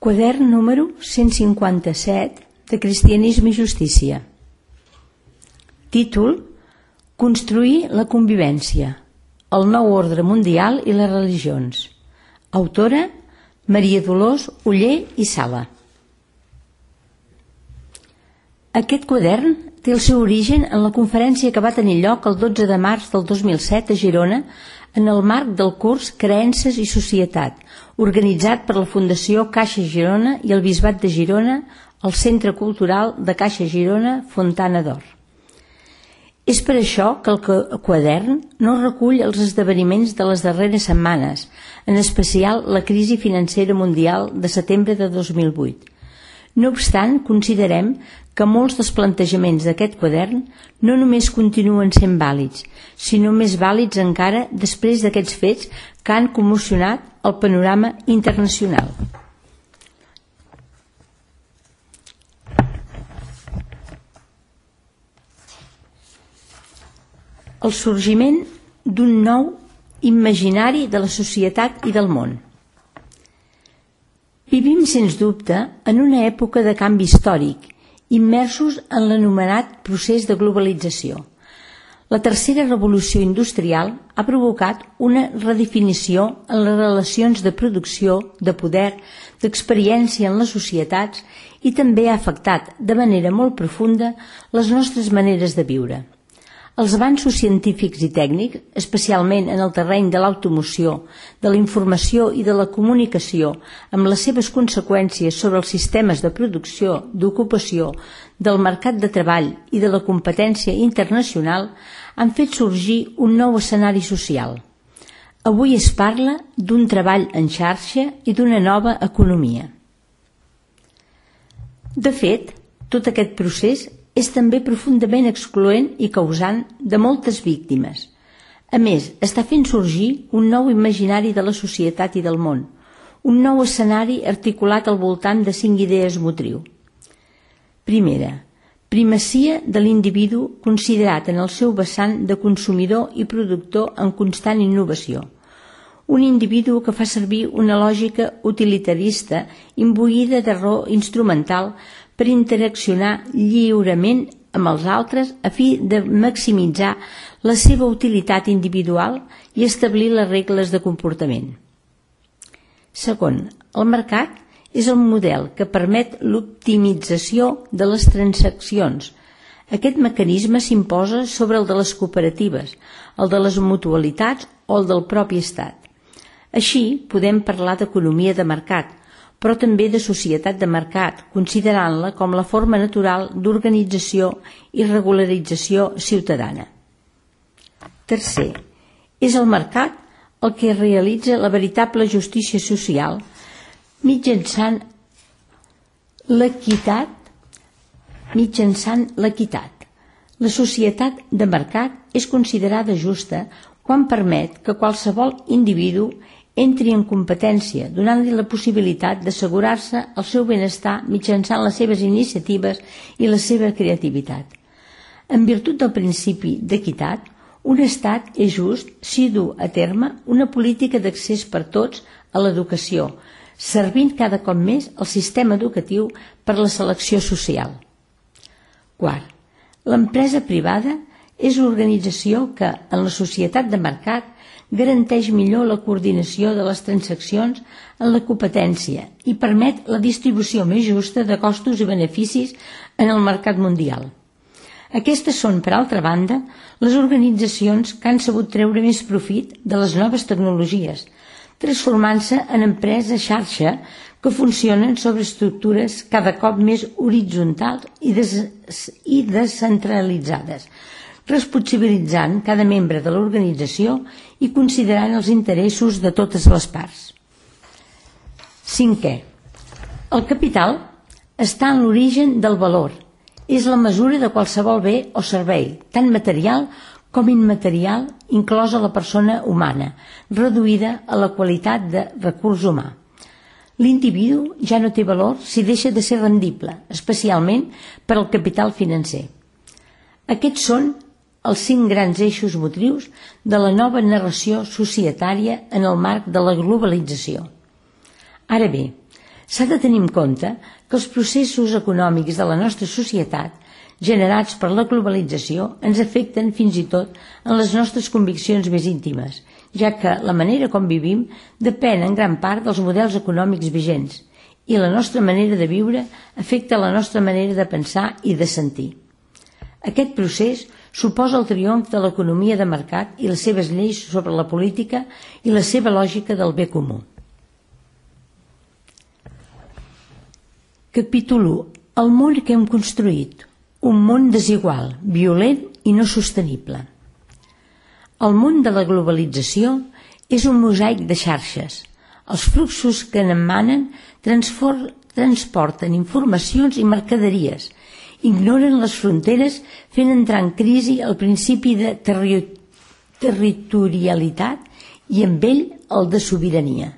Quadern número 157 de Cristianisme i Justícia. Títol: Construir la convivència, el nou ordre mundial i les religions. Autora: Maria Dolors Oller i Sala. Aquest quadern té el seu origen en la conferència que va tenir lloc el 12 de març del 2007 a Girona en el marc del curs Creences i Societat, organitzat per la Fundació Caixa Girona i el Bisbat de Girona al Centre Cultural de Caixa Girona Fontana d'Or. És per això que el quadern no recull els esdeveniments de les darreres setmanes, en especial la crisi financera mundial de setembre de 2008. No obstant, considerem que molts dels plantejaments d'aquest quadern no només continuen sent vàlids, sinó més vàlids encara després d'aquests fets que han commocionat el panorama internacional. El sorgiment d'un nou imaginari de la societat i del món. Vivim, sens dubte, en una època de canvi històric, immersos en l'anomenat procés de globalització. La tercera revolució industrial ha provocat una redefinició en les relacions de producció, de poder, d'experiència en les societats i també ha afectat de manera molt profunda les nostres maneres de viure. Els avanços científics i tècnics, especialment en el terreny de l'automoció, de la informació i de la comunicació, amb les seves conseqüències sobre els sistemes de producció, d'ocupació, del mercat de treball i de la competència internacional, han fet sorgir un nou escenari social. Avui es parla d'un treball en xarxa i d'una nova economia. De fet, tot aquest procés és també profundament excloent i causant de moltes víctimes. A més, està fent sorgir un nou imaginari de la societat i del món, un nou escenari articulat al voltant de 5 idees motriu. Primera, primacia de l'individu considerat en el seu vessant de consumidor i productor en constant innovació. Un individu que fa servir una lògica utilitarista imbuïda de raó instrumental per interaccionar lliurement amb els altres a fi de maximitzar la seva utilitat individual i establir les regles de comportament. Segon, el mercat és el model que permet l'optimització de les transaccions. Aquest mecanisme s'imposa sobre el de les cooperatives, el de les mutualitats o el del propi estat. Així, podem parlar d'economia de mercat, però també de societat de mercat, considerant-la com la forma natural d'organització i regularització ciutadana. Tercer, és el mercat el que realitza la veritable justícia social mitjançant l'equitat. La societat de mercat és considerada justa quan permet que qualsevol individu entri en competència, donant-li la possibilitat d'assegurar-se el seu benestar mitjançant les seves iniciatives i la seva creativitat. En virtut del principi d'equitat, un estat és just si du a terme una política d'accés per tots a l'educació, servint cada cop més el sistema educatiu per la selecció social. Quart, l'empresa privada és l'organització que, en la societat de mercat, garanteix millor la coordinació de les transaccions en la competència i permet la distribució més justa de costos i beneficis en el mercat mundial. Aquestes són, per altra banda, les organitzacions que han sabut treure més profit de les noves tecnologies, transformant-se en empreses xarxa que funcionen sobre estructures cada cop més horitzontals i descentralitzades, responsabilitzant cada membre de l'organització i considerant els interessos de totes les parts. Cinquè, el capital està en l'origen del valor. És la mesura de qualsevol bé o servei, tant material com immaterial, inclosa la persona humana, reduïda a la qualitat de recurs humà. L'individu ja no té valor si deixa de ser rendible, especialment per al capital financer. Aquests són els 5 grans eixos motrius de la nova narració societària en el marc de la globalització. Ara bé, S'ha de tenir en compte que els processos econòmics de la nostra societat, generats per la globalització, ens afecten fins i tot en les nostres conviccions més íntimes, ja que la manera com vivim depèn en gran part dels models econòmics vigents i la nostra manera de viure afecta la nostra manera de pensar i de sentir. Aquest procés suposa el triomf de l'economia de mercat i les seves lleis sobre la política i la seva lògica del bé comú. Capítol 1. El món que hem construït. Un món desigual, violent i no sostenible. El món de la globalització és un mosaic de xarxes. Els fluxos que n'emanen transporten informacions i mercaderies, ignoren les fronteres fent entrar en crisi el principi de territorialitat i amb ell el de sobirania.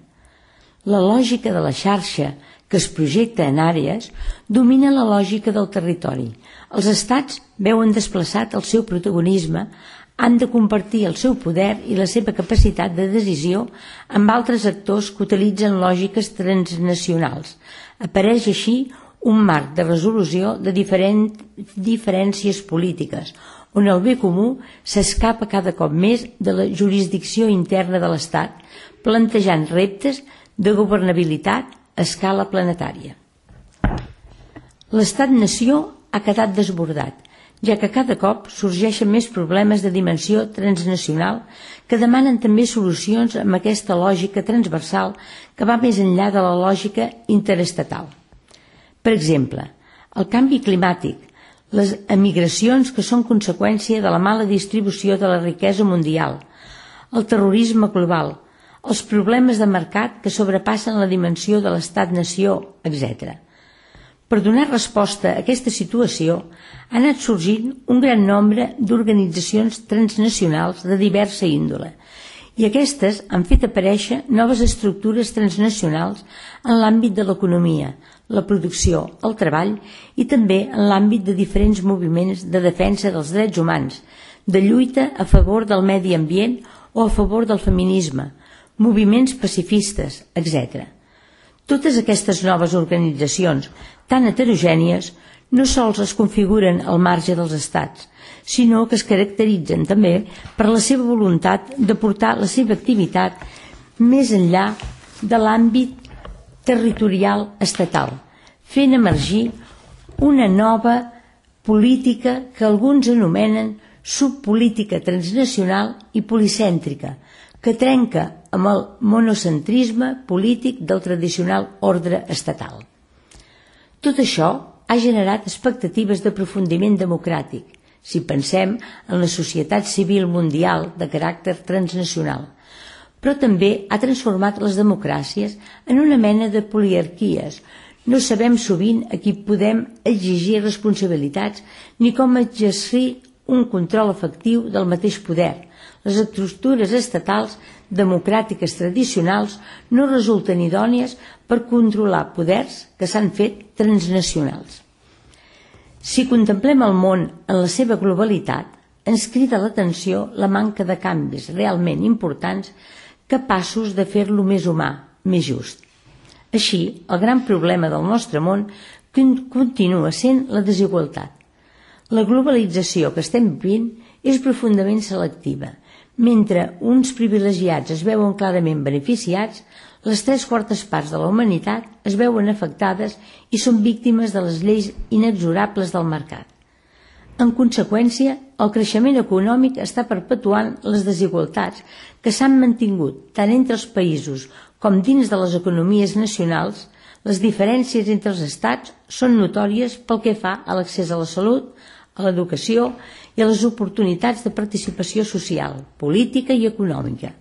La lògica de la xarxa que es projecta en àrees domina la lògica del territori. Els estats veuen desplaçat el seu protagonisme, han de compartir el seu poder i la seva capacitat de decisió amb altres actors que utilitzen lògiques transnacionals. Apareix així un marc de resolució de diferències polítiques, on el bé comú s'escapa cada cop més de la jurisdicció interna de l'Estat, plantejant reptes de governabilitat a escala planetària. L'Estat-nació ha quedat desbordat, ja que cada cop sorgeixen més problemes de dimensió transnacional que demanen també solucions amb aquesta lògica transversal que va més enllà de la lògica interestatal. Per exemple, el canvi climàtic, les emigracions que són conseqüència de la mala distribució de la riquesa mundial, el terrorisme global, els problemes de mercat que sobrepassen la dimensió de l'estat-nació, etc. Per donar resposta a aquesta situació, ha anat sorgint un gran nombre d'organitzacions transnacionals de diversa índole, i aquestes han fet aparèixer noves estructures transnacionals en l'àmbit de l'economia, la producció, el treball i també en l'àmbit de diferents moviments de defensa dels drets humans, de lluita a favor del medi ambient o a favor del feminisme, moviments pacifistes, etc. Totes aquestes noves organitzacions, tan heterogènies, no sols es configuren al marge dels estats, sinó que es caracteritzen també per la seva voluntat de portar la seva activitat més enllà de l'àmbit territorial estatal, fent emergir una nova política que alguns anomenen subpolítica transnacional i policèntrica, que trenca amb el monocentrisme polític del tradicional ordre estatal. Tot això ha generat expectatives d'aprofundiment democràtic, si pensem en la societat civil mundial de caràcter transnacional, però també ha transformat les democràcies en una mena de poliarquies. No sabem sovint a qui podem exigir responsabilitats ni com exercir un control efectiu del mateix poder. Les estructures estatals democràtiques tradicionals no resulten idònies per controlar poders que s'han fet transnacionals. Si contemplem el món en la seva globalitat, ens crida l'atenció la manca de canvis realment importants capaços de fer-lo més humà, més just. Així, el gran problema del nostre món continua sent la desigualtat. La globalització que estem vivint és profundament selectiva. Mentre uns privilegiats es veuen clarament beneficiats, les 3/4 parts de la humanitat es veuen afectades i són víctimes de les lleis inexorables del mercat. En conseqüència, el creixement econòmic està perpetuant les desigualtats que s'han mantingut tant entre els països com dins de les economies nacionals. Les diferències entre els estats són notòries pel que fa a l'accés a la salut, a l'educació i a les oportunitats de participació social, política i econòmica.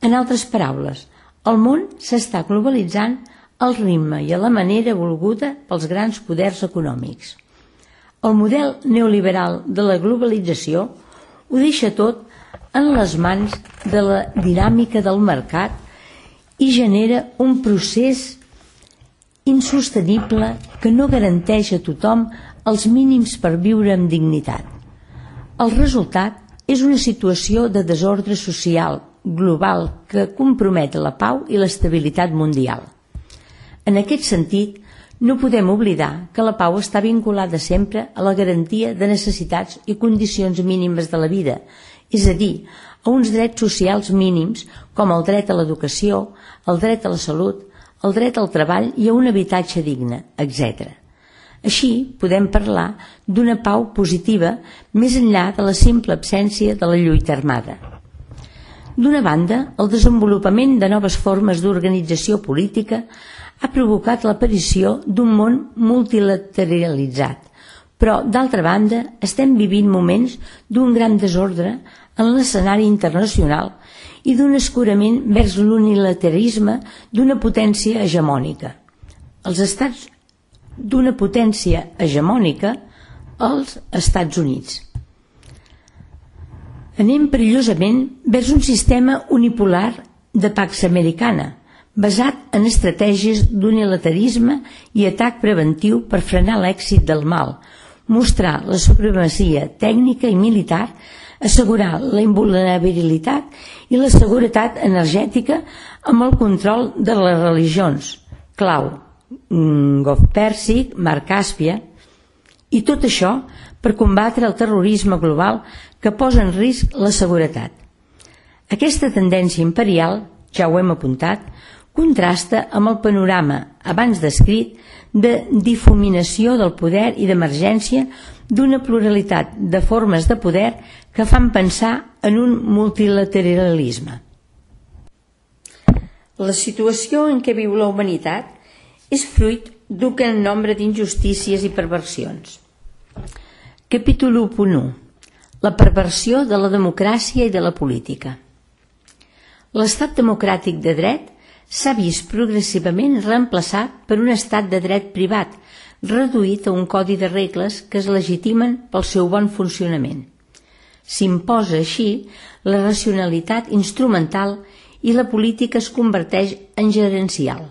En altres paraules, el món s'està globalitzant al ritme i a la manera volguda pels grans poders econòmics. El model neoliberal de la globalització ho deixa tot en les mans de la dinàmica del mercat i genera un procés insostenible que no garanteix a tothom els mínims per viure amb dignitat. El resultat és una situació de desordre social global que compromet la pau i l'estabilitat mundial. En aquest sentit, no podem oblidar que la pau està vinculada sempre a la garantia de necessitats i condicions mínimes de la vida, és a dir, a uns drets socials mínims com el dret a l'educació, el dret a la salut, el dret al treball i a un habitatge digne, etc. Així, podem parlar d'una pau positiva més enllà de la simple absència de la lluita armada. D'una banda, el desenvolupament de noves formes d'organització política ha provocat l'aparició d'un món multilateralitzat, però, d'altra banda, estem vivint moments d'un gran desordre en l'escenari internacional i d'un escurament vers l'unilateralisme d'una potència hegemònica. Els Estats Units. Anem perillosament vers un sistema unipolar de Pax Americana, basat en estratègies d'unilateralisme i atac preventiu per frenar l'èxit del mal, mostrar la supremacia tècnica i militar, assegurar la invulnerabilitat i la seguretat energètica amb el control de les religions, clau, Golf Pèrsic, Mar Càspia, i tot això per combatre el terrorisme global que posa en risc la seguretat. Aquesta tendència imperial, ja ho hem apuntat, contrasta amb el panorama abans descrit de difuminació del poder i d'emergència d'una pluralitat de formes de poder que fan pensar en un multilateralisme. La situació en què viu la humanitat és fruit d'un gran nombre d'injustícies i perversions. Capítol 1.1. La perversió de la democràcia i de la política. L'estat democràtic de dret s'ha vist progressivament reemplaçat per un estat de dret privat, reduït a un codi de regles que es legitimen pel seu bon funcionament. S'imposa així la racionalitat instrumental i la política es converteix en gerencial.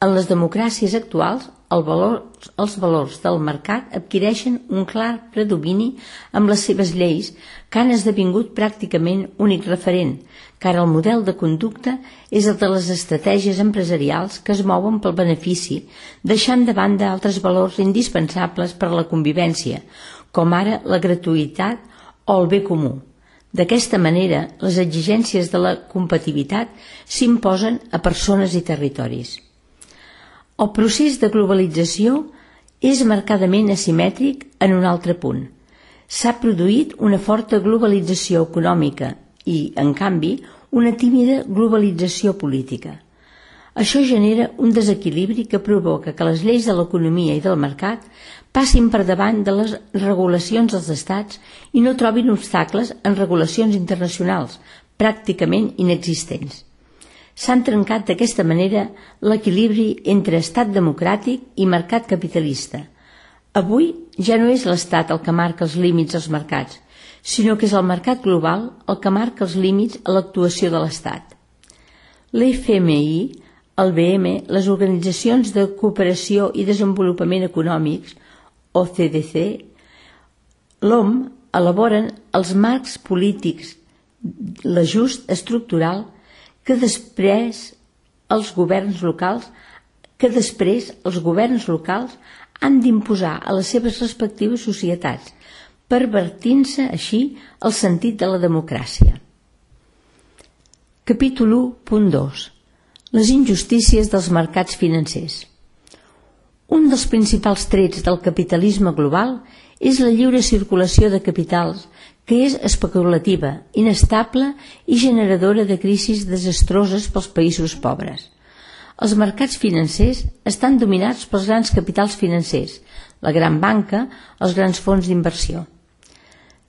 En les democràcies actuals, els valors del mercat adquireixen un clar predomini amb les seves lleis que han esdevingut pràcticament únic referent, car el model de conducta és el de les estratègies empresarials que es mouen pel benefici, deixant de banda altres valors indispensables per a la convivència, com ara la gratuïtat o el bé comú. D'aquesta manera, les exigències de la competitivitat s'imposen a persones i territoris. El procés de globalització és marcadament asimètric en un altre punt. S'ha produït una forta globalització econòmica i, en canvi, una tímida globalització política. Això genera un desequilibri que provoca que les lleis de l'economia i del mercat passin per davant de les regulacions dels estats i no trobin obstacles en regulacions internacionals, pràcticament inexistents. S'han trencat d'aquesta manera l'equilibri entre estat democràtic i mercat capitalista. Avui ja no és l'estat el que marca els límits als mercats, sinó que és el mercat global el que marca els límits a l'actuació de l'estat. L'FMI, el BM, les organitzacions de cooperació i desenvolupament econòmics, OCDE, l'OMC, elaboren els marcs polítics, l'ajust estructural que després els governs locals han d'imposar a les seves respectives societats, pervertint-se així el sentit de la democràcia. Capítol 1.2. Les injustícies dels mercats financers. Un dels principals trets del capitalisme global és la lliure circulació de capitals, que és especulativa, inestable i generadora de crisis desastroses pels països pobres. Els mercats financers estan dominats pels grans capitals financers, la gran banca, els grans fons d'inversió.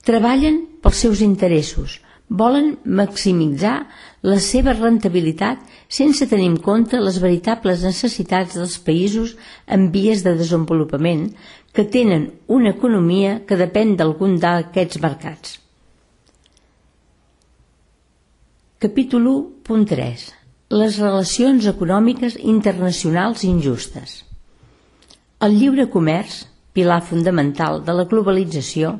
Treballen pels seus interessos, volen maximitzar la seva rentabilitat sense tenir en compte les veritables necessitats dels països en vies de desenvolupament que tenen una economia que depèn d'algun d'aquests mercats. Capítol 1.3. Les relacions econòmiques internacionals injustes. El lliure comerç, pilar fundamental de la globalització,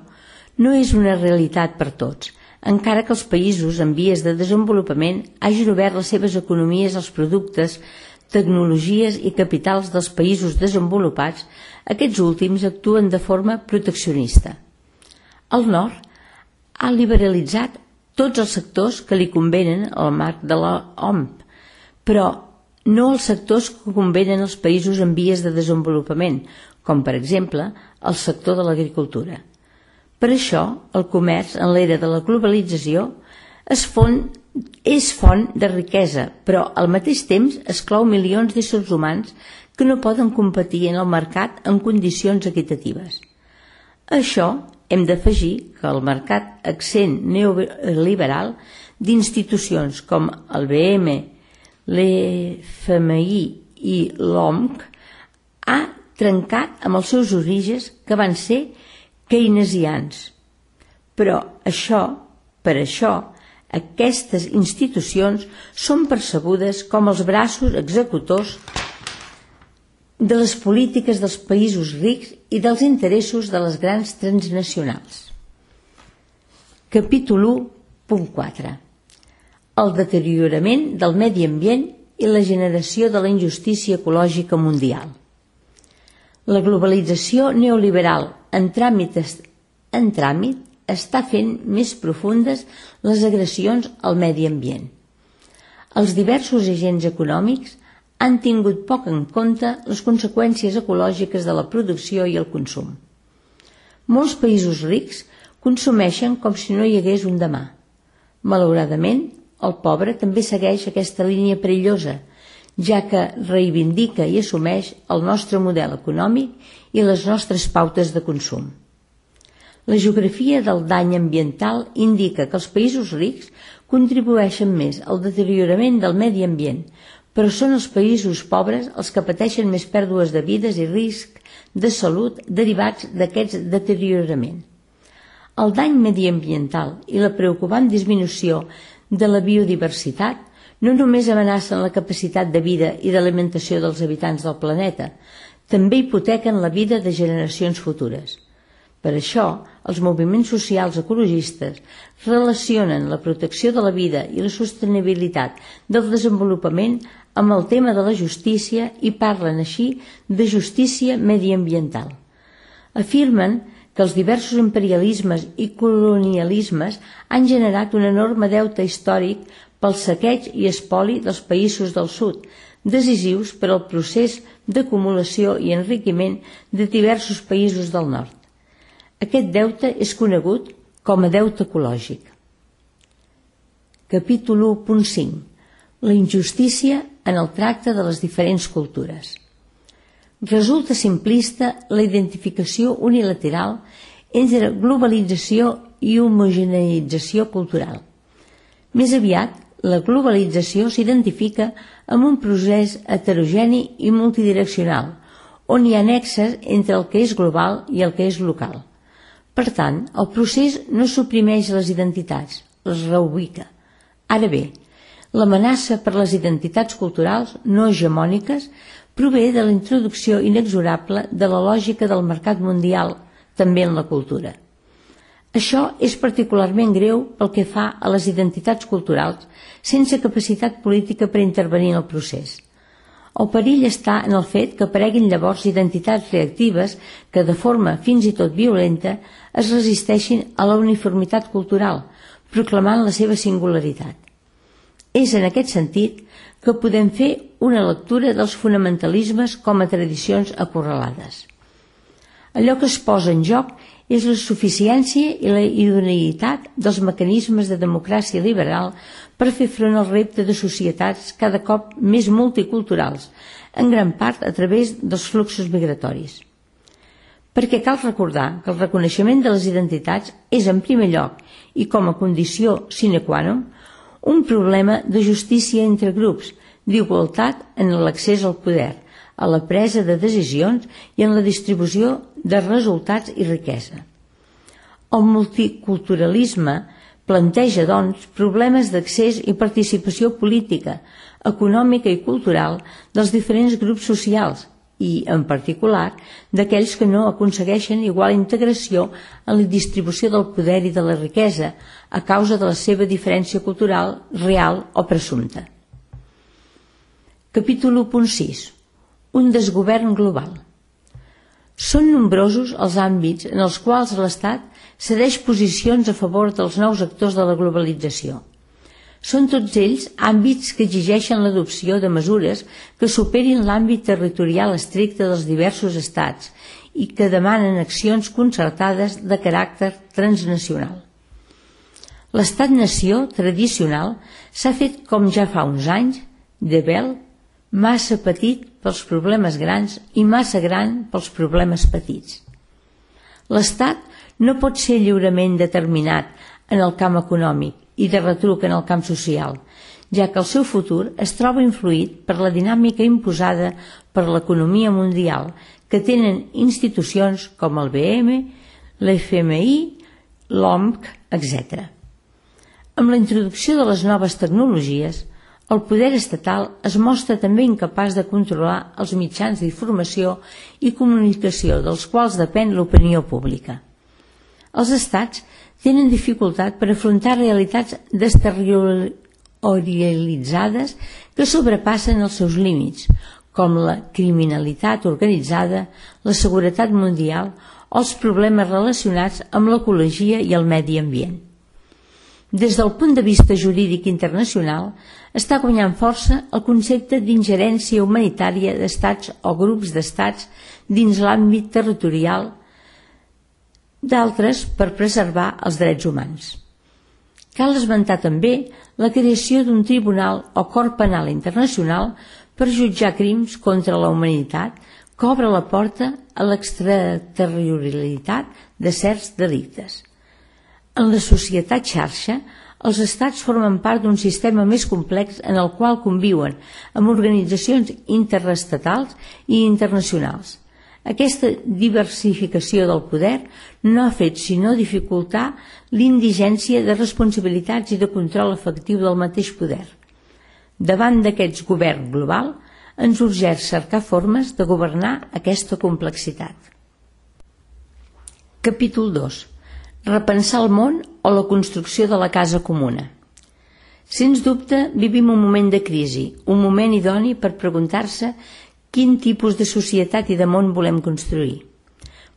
no és una realitat per tots, encara que els països en vies de desenvolupament hagin obert les seves economies als productes tecnologies i capitals dels països desenvolupats, aquests últims actuen de forma proteccionista. El nord ha liberalitzat tots els sectors que li convenen al marc de l'OMC, però no els sectors que convenen als països en vies de desenvolupament, com per exemple el sector de l'agricultura. Per això, el comerç en l'era de la globalització és font de riquesa, però al mateix temps exclou milions d'éssers humans que no poden competir en el mercat en condicions equitatives. A això hem d'afegir que el mercat accent neoliberal d'institucions com el BM, l'FMI i l'OMC ha trencat amb els seus orígens que van ser keynesians. Però per això, aquestes institucions són percebudes com els braços executors de les polítiques dels països rics i dels interessos de les grans transnacionals. Capítol 1.4. El deteriorament del medi ambient i la generació de la injustícia ecològica mundial. La globalització neoliberal en tràmit està fent més profundes les agressions al medi ambient. Els diversos agents econòmics han tingut poc en compte les conseqüències ecològiques de la producció i el consum. Molts països rics consumeixen com si no hi hagués un demà. Malauradament, el pobre també segueix aquesta línia perillosa, ja que reivindica i assumeix el nostre model econòmic i les nostres pautes de consum. La geografia del dany ambiental indica que els països rics contribueixen més al deteriorament del medi ambient, però són els països pobres els que pateixen més pèrdues de vides i risc de salut derivats d'aquest deteriorament. El dany mediambiental i la preocupant disminució de la biodiversitat no només amenacen la capacitat de vida i d'alimentació dels habitants del planeta, també hipotequen la vida de generacions futures. Per això, els moviments socials ecologistes relacionen la protecció de la vida i la sostenibilitat del desenvolupament amb el tema de la justícia i parlen així de justícia mediambiental. Afirmen que els diversos imperialismes i colonialismes han generat un enorme deute històric pel saqueig i espoli dels països del sud, decisius per al procés d'acumulació i enriquiment de diversos països del nord. Aquest deute és conegut com a deute ecològic. Capítol 1.5. La injustícia en el tracte de les diferents cultures. Resulta simplista la identificació unilateral entre globalització i homogeneïtzació cultural. Més aviat, la globalització s'identifica amb un procés heterogeni i multidireccional, on hi ha nexes entre el que és global i el que és local. Per tant, el procés no suprimeix les identitats, les reubica. Ara bé, l'amenaça per les identitats culturals no hegemòniques prové de la introducció inexorable de la lògica del mercat mundial, també en la cultura. Això és particularment greu pel que fa a les identitats culturals sense capacitat política per intervenir en el procés. El perill està en el fet que apareguin llavors identitats reactives que, de forma fins i tot violenta, es resisteixin a la uniformitat cultural, proclamant la seva singularitat. És en aquest sentit que podem fer una lectura dels fonamentalismes com a tradicions acorralades. Allò que es posa en joc és la suficiència i la idoneïtat dels mecanismes de democràcia liberal per fer front al repte de societats cada cop més multiculturals, en gran part a través dels fluxos migratoris. Perquè cal recordar que el reconeixement de les identitats és, en primer lloc, i com a condició sine qua non, un problema de justícia entre grups, d'igualtat en l'accés al poder, a la presa de decisions i en la distribució de resultats i riquesa. El multiculturalisme planteja, doncs, problemes d'accés i participació política, econòmica i cultural dels diferents grups socials i, en particular, d'aquells que no aconsegueixen igual integració en la distribució del poder i de la riquesa a causa de la seva diferència cultural real o presumpta. Capítol 1.6. Un desgovern global. Són nombrosos els àmbits en els quals l'Estat cedeix posicions a favor dels nous actors de la globalització. Són tots ells àmbits que exigeixen l'adopció de mesures que superin l'àmbit territorial estricte dels diversos estats i que demanen accions concertades de caràcter transnacional. L'estat-nació tradicional s'ha fet, com ja fa uns anys, debel, massa petit pels problemes grans i massa gran pels problemes petits. L'Estat no pot ser lliurement determinat en el camp econòmic i de retruc en el camp social, ja que el seu futur es troba influït per la dinàmica imposada per l'economia mundial que tenen institucions com el BM, l'FMI, l'OMC, etc. Amb la introducció de les noves tecnologies, el poder estatal es mostra també incapaç de controlar els mitjans d'informació i comunicació dels quals depèn l'opinió pública. Els estats tenen dificultat per afrontar realitats desterritorialitzades que sobrepassen els seus límits, com la criminalitat organitzada, la seguretat mundial o els problemes relacionats amb l'ecologia i el medi ambient. Des del punt de vista jurídic internacional, està guanyant força el concepte d'ingerència humanitària d'estats o grups d'estats dins l'àmbit territorial d'altres per preservar els drets humans. Cal esmentar també la creació d'un tribunal o cort penal internacional per jutjar crims contra la humanitat que obre la porta a l'extraterritorialitat de certs delictes. En la societat xarxa, els estats formen part d'un sistema més complex en el qual conviuen amb organitzacions interestatals i internacionals. Aquesta diversificació del poder no ha fet sinó dificultar l'indigència de responsabilitats i de control efectiu del mateix poder. Davant d'aquest govern global, ens urgeix cercar formes de governar aquesta complexitat. Capítol 2. Repensar el món o la construcció de la casa comuna. Sens dubte, vivim un moment de crisi, un moment idoni per preguntar-se quin tipus de societat i de món volem construir.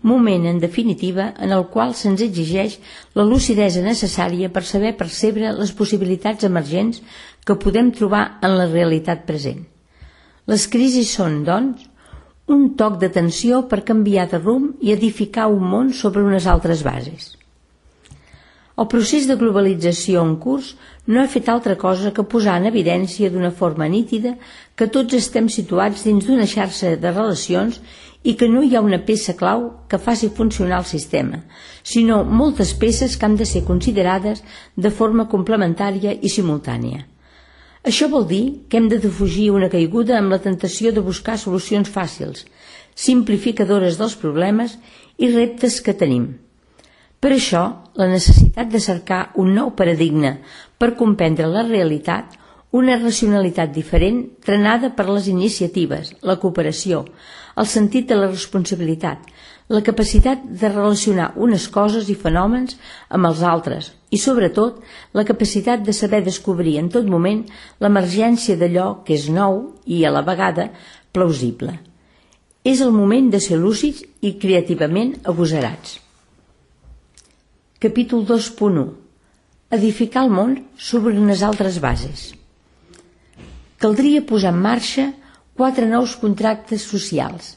Moment, en definitiva, en el qual se'ns exigeix la lucidesa necessària per saber percebre les possibilitats emergents que podem trobar en la realitat present. Les crisis són, doncs, un toc d'atenció per canviar de rumb i edificar un món sobre unes altres bases. El procés de globalització en curs no ha fet altra cosa que posar en evidència d'una forma nítida que tots estem situats dins d'una xarxa de relacions i que no hi ha una peça clau que faci funcionar el sistema, sinó moltes peces que han de ser considerades de forma complementària i simultània. Això vol dir que hem de defugir una caiguda amb la tentació de buscar solucions fàcils, simplificadores dels problemes i reptes que tenim. Per això, la necessitat de cercar un nou paradigma per comprendre la realitat, una racionalitat diferent trenada per les iniciatives, la cooperació, el sentit de la responsabilitat, la capacitat de relacionar unes coses i fenòmens amb els altres i, sobretot, la capacitat de saber descobrir en tot moment l'emergència d'allò que és nou i, a la vegada, plausible. És el moment de ser lúcids i creativament agosarats. Capítol 2.1. Edificar el món sobre unes altres bases. Caldria posar en marxa 4 nous contractes socials,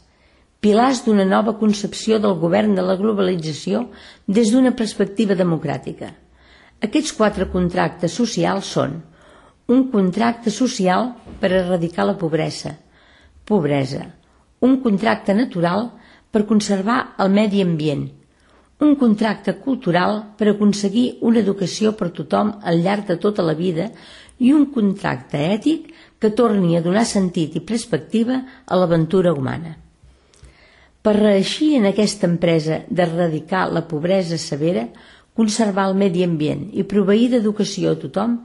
pilars d'una nova concepció del govern de la globalització des d'una perspectiva democràtica. Aquests 4 contractes socials són: un contracte social per erradicar la pobresa, un contracte natural per conservar el medi ambient, un contracte cultural per aconseguir una educació per tothom al llarg de tota la vida i un contracte ètic que torni a donar sentit i perspectiva a l'aventura humana. Per reeixir en aquesta empresa d'erradicar la pobresa severa, conservar el medi ambient i proveir d'educació a tothom,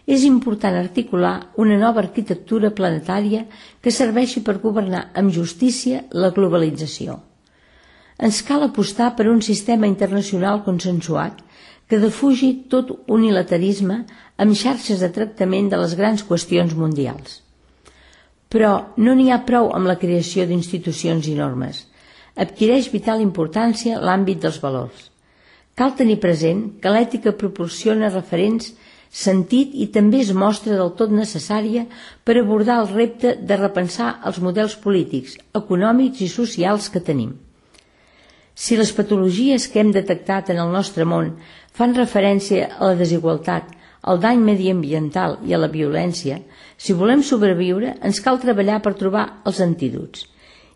és important articular una nova arquitectura planetària que serveixi per governar amb justícia la globalització. Ens cal apostar per un sistema internacional consensuat que defugi tot unilateralisme amb xarxes de tractament de les grans qüestions mundials. Però no n'hi ha prou amb la creació d'institucions i normes. Adquireix vital importància l'àmbit dels valors. Cal tenir present que l'ètica proporciona referents, sentit i també es mostra del tot necessària per abordar el repte de repensar els models polítics, econòmics i socials que tenim. Si les patologies que hem detectat en el nostre món fan referència a la desigualtat, al dany mediambiental i a la violència, si volem sobreviure ens cal treballar per trobar els antídots.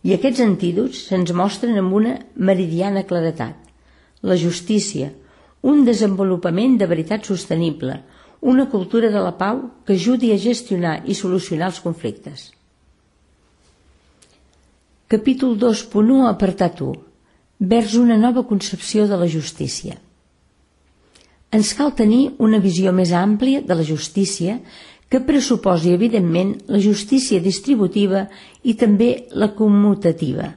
I aquests antídots se'ns mostren amb una meridiana claredat. La justícia, un desenvolupament de veritat sostenible, una cultura de la pau que ajudi a gestionar i solucionar els conflictes. Capítol 2.1, apartat 1. Vers una nova concepció de la justícia. Ens cal tenir una visió més àmplia de la justícia que pressuposi, evidentment, la justícia distributiva i també la commutativa,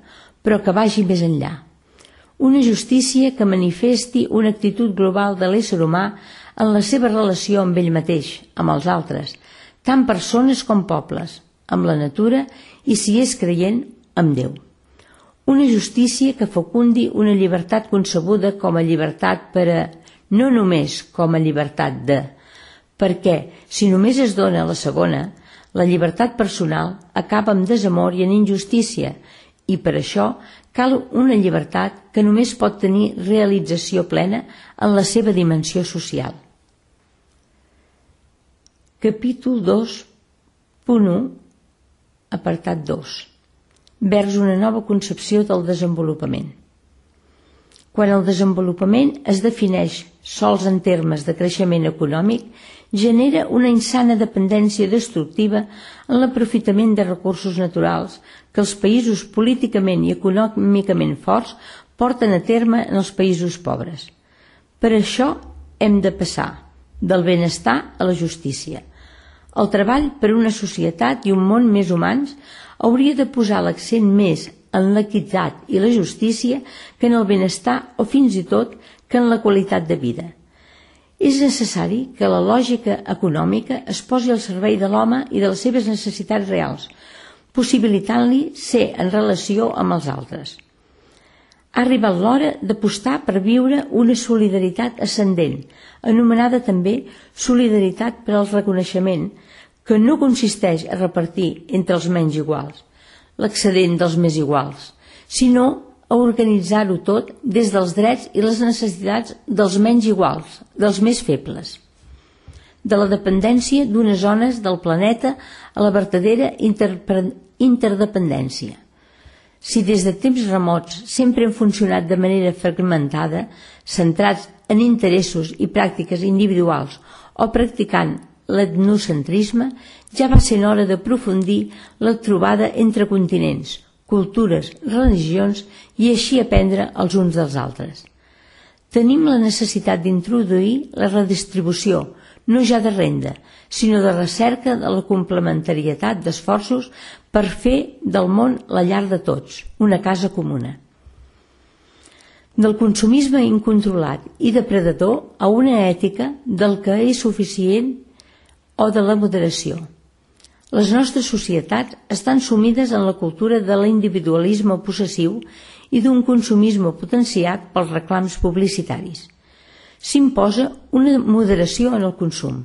però que vagi més enllà. Una justícia que manifesti una actitud global de l'ésser humà en la seva relació amb ell mateix, amb els altres, tant persones com pobles, amb la natura i, si és creient, amb Déu. Una justícia que fecundi una llibertat concebuda com a llibertat per a, no només com a llibertat de, perquè si només es dona la segona, la llibertat personal acaba amb desamor i en injustícia, i per això cal una llibertat que només pot tenir realització plena en la seva dimensió social. Capítol 2.1, apartat 2. Vers una nova concepció del desenvolupament. Quan el desenvolupament es defineix sols en termes de creixement econòmic, genera una insana dependència destructiva en l'aprofitament de recursos naturals que els països políticament i econòmicament forts porten a terme en els països pobres. Per això hem de passar del benestar a la justícia. El treball per una societat i un món més humans hauria de posar l'accent més en l'equitat i la justícia que en el benestar o fins i tot que en la qualitat de vida. És necessari que la lògica econòmica es posi al servei de l'home i de les seves necessitats reals, possibilitant-li ser en relació amb els altres. Ha arribat l'hora d'apostar per viure una solidaritat ascendent, anomenada també solidaritat per al reconeixement, que no consisteix a repartir entre els menys iguals, l'excedent dels més iguals, sinó a organitzar-ho tot des dels drets i les necessitats dels menys iguals, dels més febles. De la dependència d'unes zones del planeta a la vertadera interdependència. Si des de temps remots sempre hem funcionat de manera fragmentada, centrats en interessos i pràctiques individuals o practicant l'etnocentrisme, ja va sent hora d'aprofundir la trobada entre continents, cultures, religions i així aprendre els uns dels altres. Tenim la necessitat d'introduir la redistribució, no ja de renda, sinó de recerca de la complementarietat d'esforços per fer del món la llar de tots, una casa comuna. Del consumisme incontrolat i depredador a una ètica del que és suficient o de la moderació. Les nostres societats estan sumides en la cultura de l'individualisme possessiu i d'un consumisme potenciat pels reclams publicitaris. S'imposa una moderació en el consum.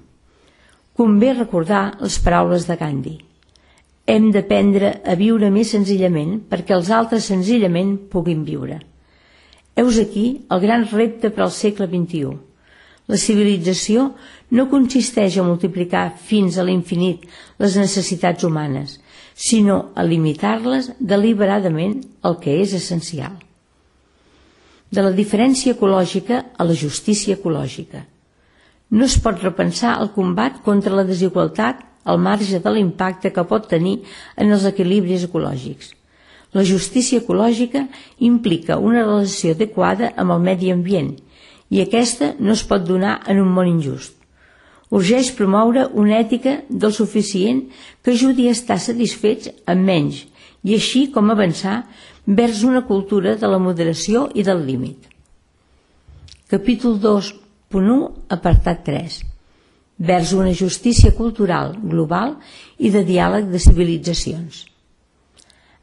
Convé recordar les paraules de Gandhi. Hem d'aprendre a viure més senzillament perquè els altres senzillament puguin viure. Heus aquí el gran repte per al segle XXI. La civilització no consisteix a multiplicar fins a l'infinit les necessitats humanes, sinó a limitar-les deliberadament al que és essencial. De la diferència ecològica a la justícia ecològica. No es pot repensar el combat contra la desigualtat al marge de l'impacte que pot tenir en els equilibris ecològics. La justícia ecològica implica una relació adequada amb el medi ambient i aquesta no es pot donar en un món injust. Urgeix promoure una ètica del suficient que ajudi a estar satisfets amb menys i així com avançar vers una cultura de la moderació i del límit. Capítol 2.1, apartat 3. vers una justícia cultural global i de diàleg de civilitzacions.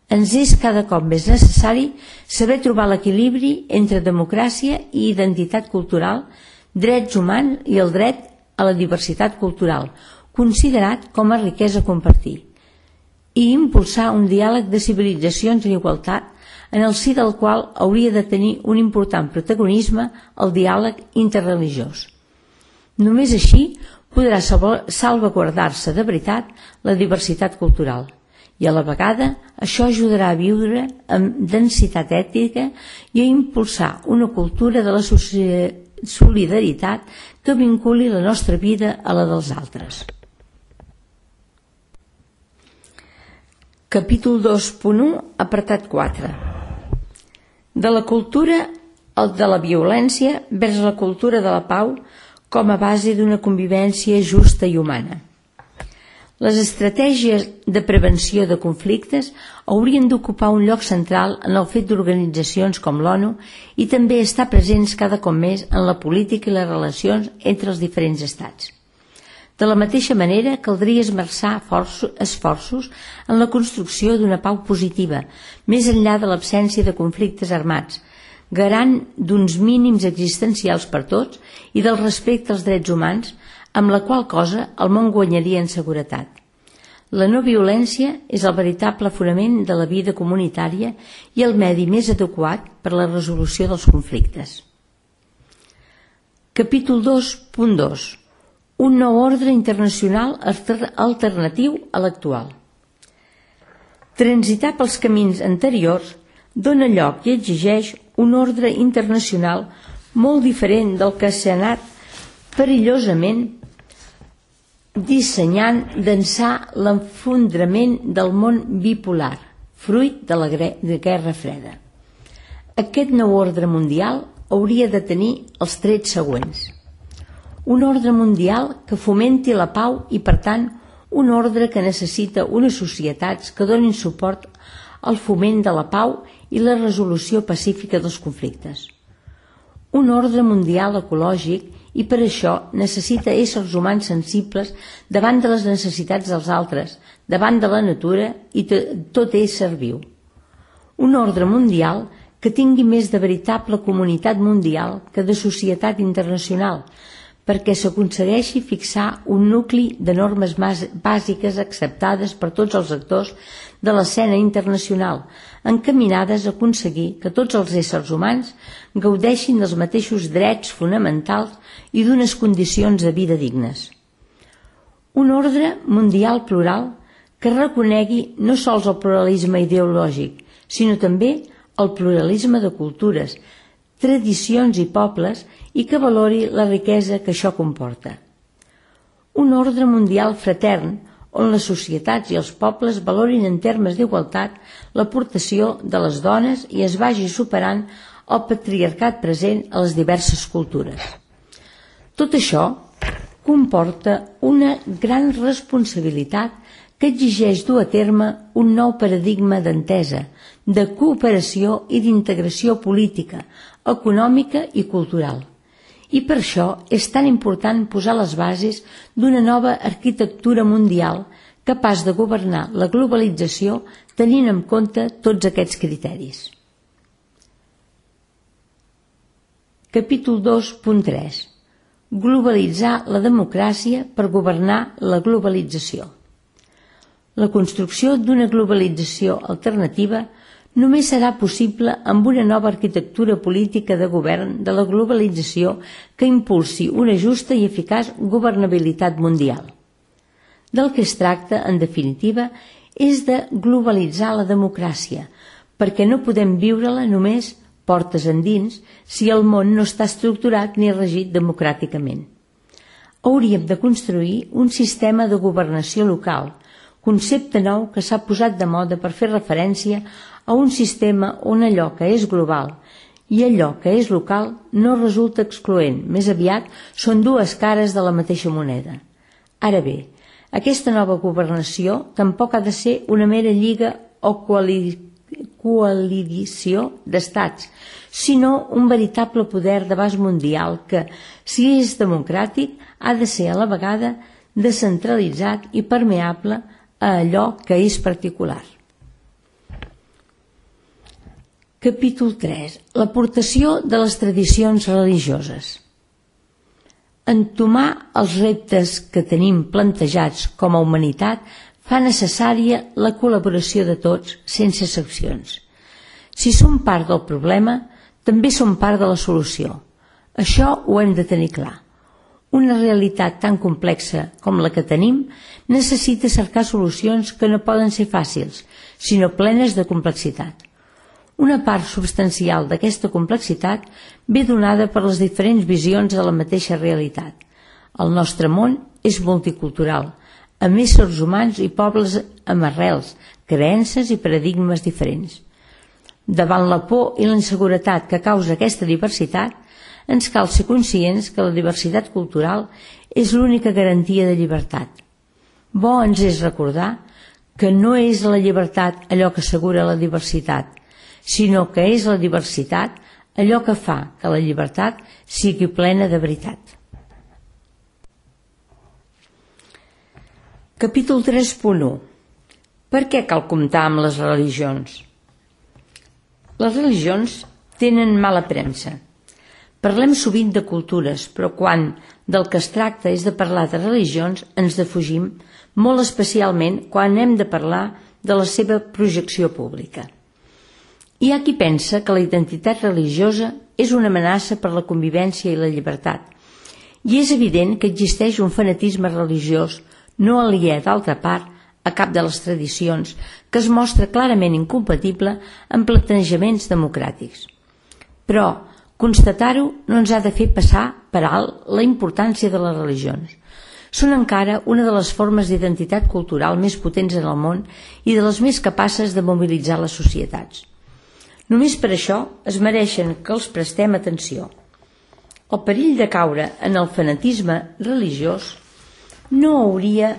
Ens és cada cop més necessari saber trobar l'equilibri entre democràcia i identitat cultural, drets humans i el dret a la diversitat cultural, considerat com a riquesa a compartir, i impulsar un diàleg de civilitzacions en igualtat, en el si del qual hauria de tenir un important protagonisme el diàleg interreligiós. Només així podrà salvaguardar-se de veritat la diversitat cultural, i a la vegada això ajudarà a viure amb densitat ètica i a impulsar una cultura de la solidaritat que vinculi la nostra vida a la dels altres. Capítol 2.1, apartat 4. De la cultura de la violència vers la cultura de la pau com a base d'una convivència justa i humana. Les estratègies de prevenció de conflictes haurien d'ocupar un lloc central en el fet d'organitzacions com l'ONU i també estar presents cada cop més en la política i les relacions entre els diferents estats. De la mateixa manera, caldria esmerçar esforços en la construcció d'una pau positiva, més enllà de l'absència de conflictes armats, garant d'uns mínims existencials per tots i del respecte als drets humans, amb la qual cosa el món guanyaria en seguretat. La no violència és el veritable fonament de la vida comunitària i el medi més adequat per a la resolució dels conflictes. Capítol 2.2. Un nou ordre internacional alternatiu a l'actual. Transitar pels camins anteriors dona lloc i exigeix un ordre internacional molt diferent del que s'ha anat perillosament dissenyant d'ençà l'enfondrament del món bipolar, fruit de la Guerra Freda. Aquest nou ordre mundial hauria de tenir els trets següents. Un ordre mundial que fomenti la pau i, per tant, un ordre que necessita unes societats que donin suport al foment de la pau i la resolució pacífica dels conflictes. Un ordre mundial ecològic i per això necessita éssers humans sensibles davant de les necessitats dels altres, davant de la natura i tot ésser viu. Un ordre mundial que tingui més de veritable comunitat mundial que de societat internacional, perquè s'aconsegueixi fixar un nucli de normes bàsiques acceptades per tots els actors de l'escena internacional, encaminades a aconseguir que tots els éssers humans gaudeixin dels mateixos drets fonamentals i d'unes condicions de vida dignes. Un ordre mundial plural que reconegui no sols el pluralisme ideològic, sinó també el pluralisme de cultures, tradicions i pobles i que valori la riquesa que això comporta. Un ordre mundial fratern on les societats i els pobles valorin en termes d'igualtat l'aportació de les dones i es vagi superant el patriarcat present a les diverses cultures. Tot això comporta una gran responsabilitat que exigeix dur a terme un nou paradigma d'entesa, de cooperació i d'integració política, econòmica i cultural. I per això és tan important posar les bases d'una nova arquitectura mundial capaç de governar la globalització tenint en compte tots aquests criteris. Capítol 2.3. Globalitzar la democràcia per governar la globalització. La construcció d'una globalització alternativa només serà possible amb una nova arquitectura política de govern de la globalització que impulsi una justa i eficaç governabilitat mundial. Del que es tracta, en definitiva, és de globalitzar la democràcia, perquè no podem viure-la només portes endins si el món no està estructurat ni regit democràticament. Hauríem de construir un sistema de governació local, concepte nou que s'ha posat de moda per fer referència a un sistema on allò que és global i allò que és local no resulta excloent, més aviat són dues cares de la mateixa moneda. Ara bé, aquesta nova governació tampoc ha de ser una mera lliga o coalició d'estats, sinó un veritable poder d'abast mundial que, si és democràtic, ha de ser a la vegada descentralitzat i permeable a allò que és particular. Capítol 3. L'aportació de les tradicions religioses. Entomar els reptes que tenim plantejats com a humanitat fa necessària la col·laboració de tots, sense excepcions. Si som part del problema, també som part de la solució. Això ho hem de tenir clar. Una realitat tan complexa com la que tenim necessita cercar solucions que no poden ser fàcils, sinó plenes de complexitat. Una part substancial d'aquesta complexitat ve donada per les diferents visions de la mateixa realitat. El nostre món és multicultural, amb éssers humans i pobles amb arrels, creences i paradigmes diferents. Davant la por i la inseguretat que causa aquesta diversitat, ens cal ser conscients que la diversitat cultural és l'única garantia de llibertat. Bo ens és recordar que no és la llibertat allò que assegura la diversitat, sinó que és la diversitat allò que fa que la llibertat sigui plena de veritat. Capítol 3.1. Per què cal comptar amb les religions? Les religions tenen mala premsa. Parlem sovint de cultures, però quan del que es tracta és de parlar de religions ens defugim, molt especialment quan hem de parlar de la seva projecció pública. Hi ha qui pensa que la identitat religiosa és una amenaça per la convivència i la llibertat, i és evident que existeix un fanatisme religiós no aliè d'altra part a cap de les tradicions, que es mostra clarament incompatible amb plantejaments democràtics. Però constatar-ho no ens ha de fer passar per alt la importància de les religions. Són encara una de les formes d'identitat cultural més potents en el món i de les més capaces de mobilitzar les societats. Només per això es mereixen que els prestem atenció. El perill de caure en el fanatisme religiós no hauria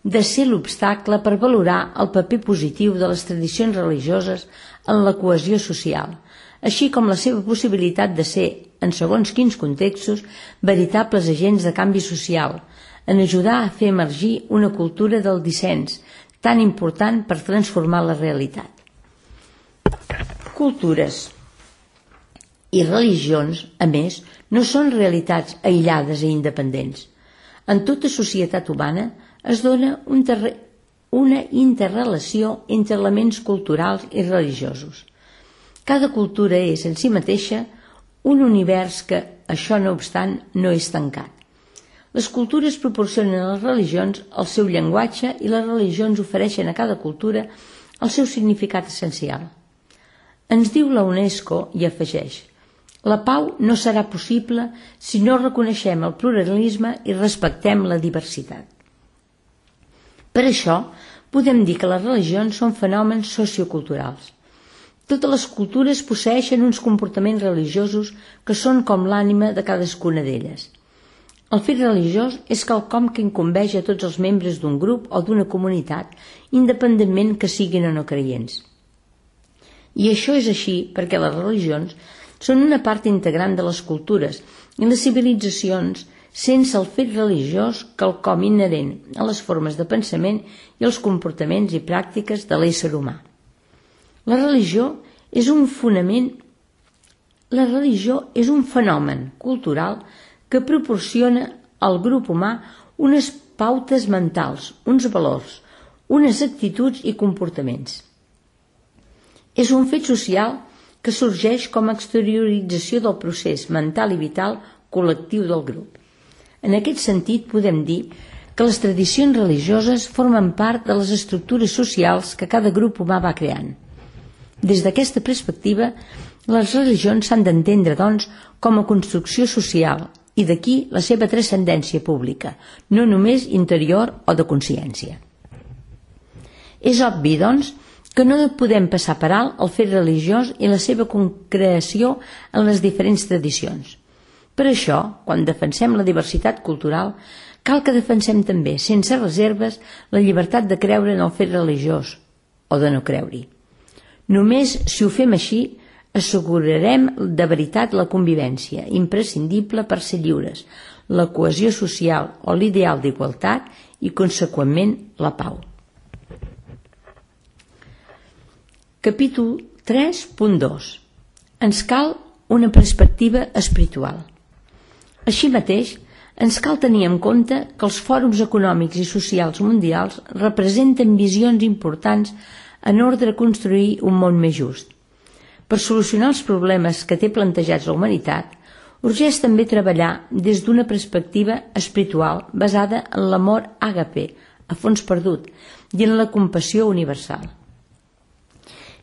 de ser l'obstacle per valorar el paper positiu de les tradicions religioses en la cohesió social, així com la seva possibilitat de ser, en segons quins contextos, veritables agents de canvi social, en ajudar a fer emergir una cultura del dissens, tan important per transformar la realitat. Cultures i religions, a més, no són realitats aïllades i independents. En tota societat humana es dona una interrelació entre elements culturals i religiosos. Cada cultura és en si mateixa un univers que, això no obstant, no és tancat. Les cultures proporcionen a les religions el seu llenguatge i les religions ofereixen a cada cultura el seu significat essencial. Ens diu la UNESCO i afegeix: la pau no serà possible si no reconeixem el pluralisme i respectem la diversitat. Per això, podem dir que les religions són fenòmens socioculturals. Totes les cultures posseeixen uns comportaments religiosos que són com l'ànima de cadascuna d'elles. El fet religiós és quelcom que incumbeix a tots els membres d'un grup o d'una comunitat, independentment que siguin o no creients. I això és així perquè les religions són una part integrant de les cultures i les civilitzacions, sense el fet religiós quelcom inherent a les formes de pensament i els comportaments i pràctiques de l'ésser humà. La religió és un fenomen cultural que proporciona al grup humà unes pautes mentals, uns valors, unes actituds i comportaments. És un fet social que sorgeix com a exteriorització del procés mental i vital col·lectiu del grup. En aquest sentit, podem dir que les tradicions religioses formen part de les estructures socials que cada grup humà va creant. Des d'aquesta perspectiva, les religions s'han d'entendre, doncs, com a construcció social i d'aquí la seva transcendència pública, no només interior o de consciència. És obvi, doncs, que no podem passar per alt el fet religiós i la seva concreció en les diferents tradicions. Per això, quan defensem la diversitat cultural, cal que defensem també, sense reserves, la llibertat de creure en el fet religiós o de no creure-hi. Només si ho fem així assegurarem de veritat la convivència, imprescindible per ser lliures, la cohesió social o l'ideal d'igualtat i, conseqüentment, la pau. Capítol 3.2. Ens cal una perspectiva espiritual. Així mateix, ens cal tenir en compte que els fòrums econòmics i socials mundials representen visions importants en ordre a construir un món més just. Per solucionar els problemes que té plantejats la humanitat, urgeix també treballar des d'una perspectiva espiritual basada en l'amor àgape, a fons perdut, i en la compassió universal.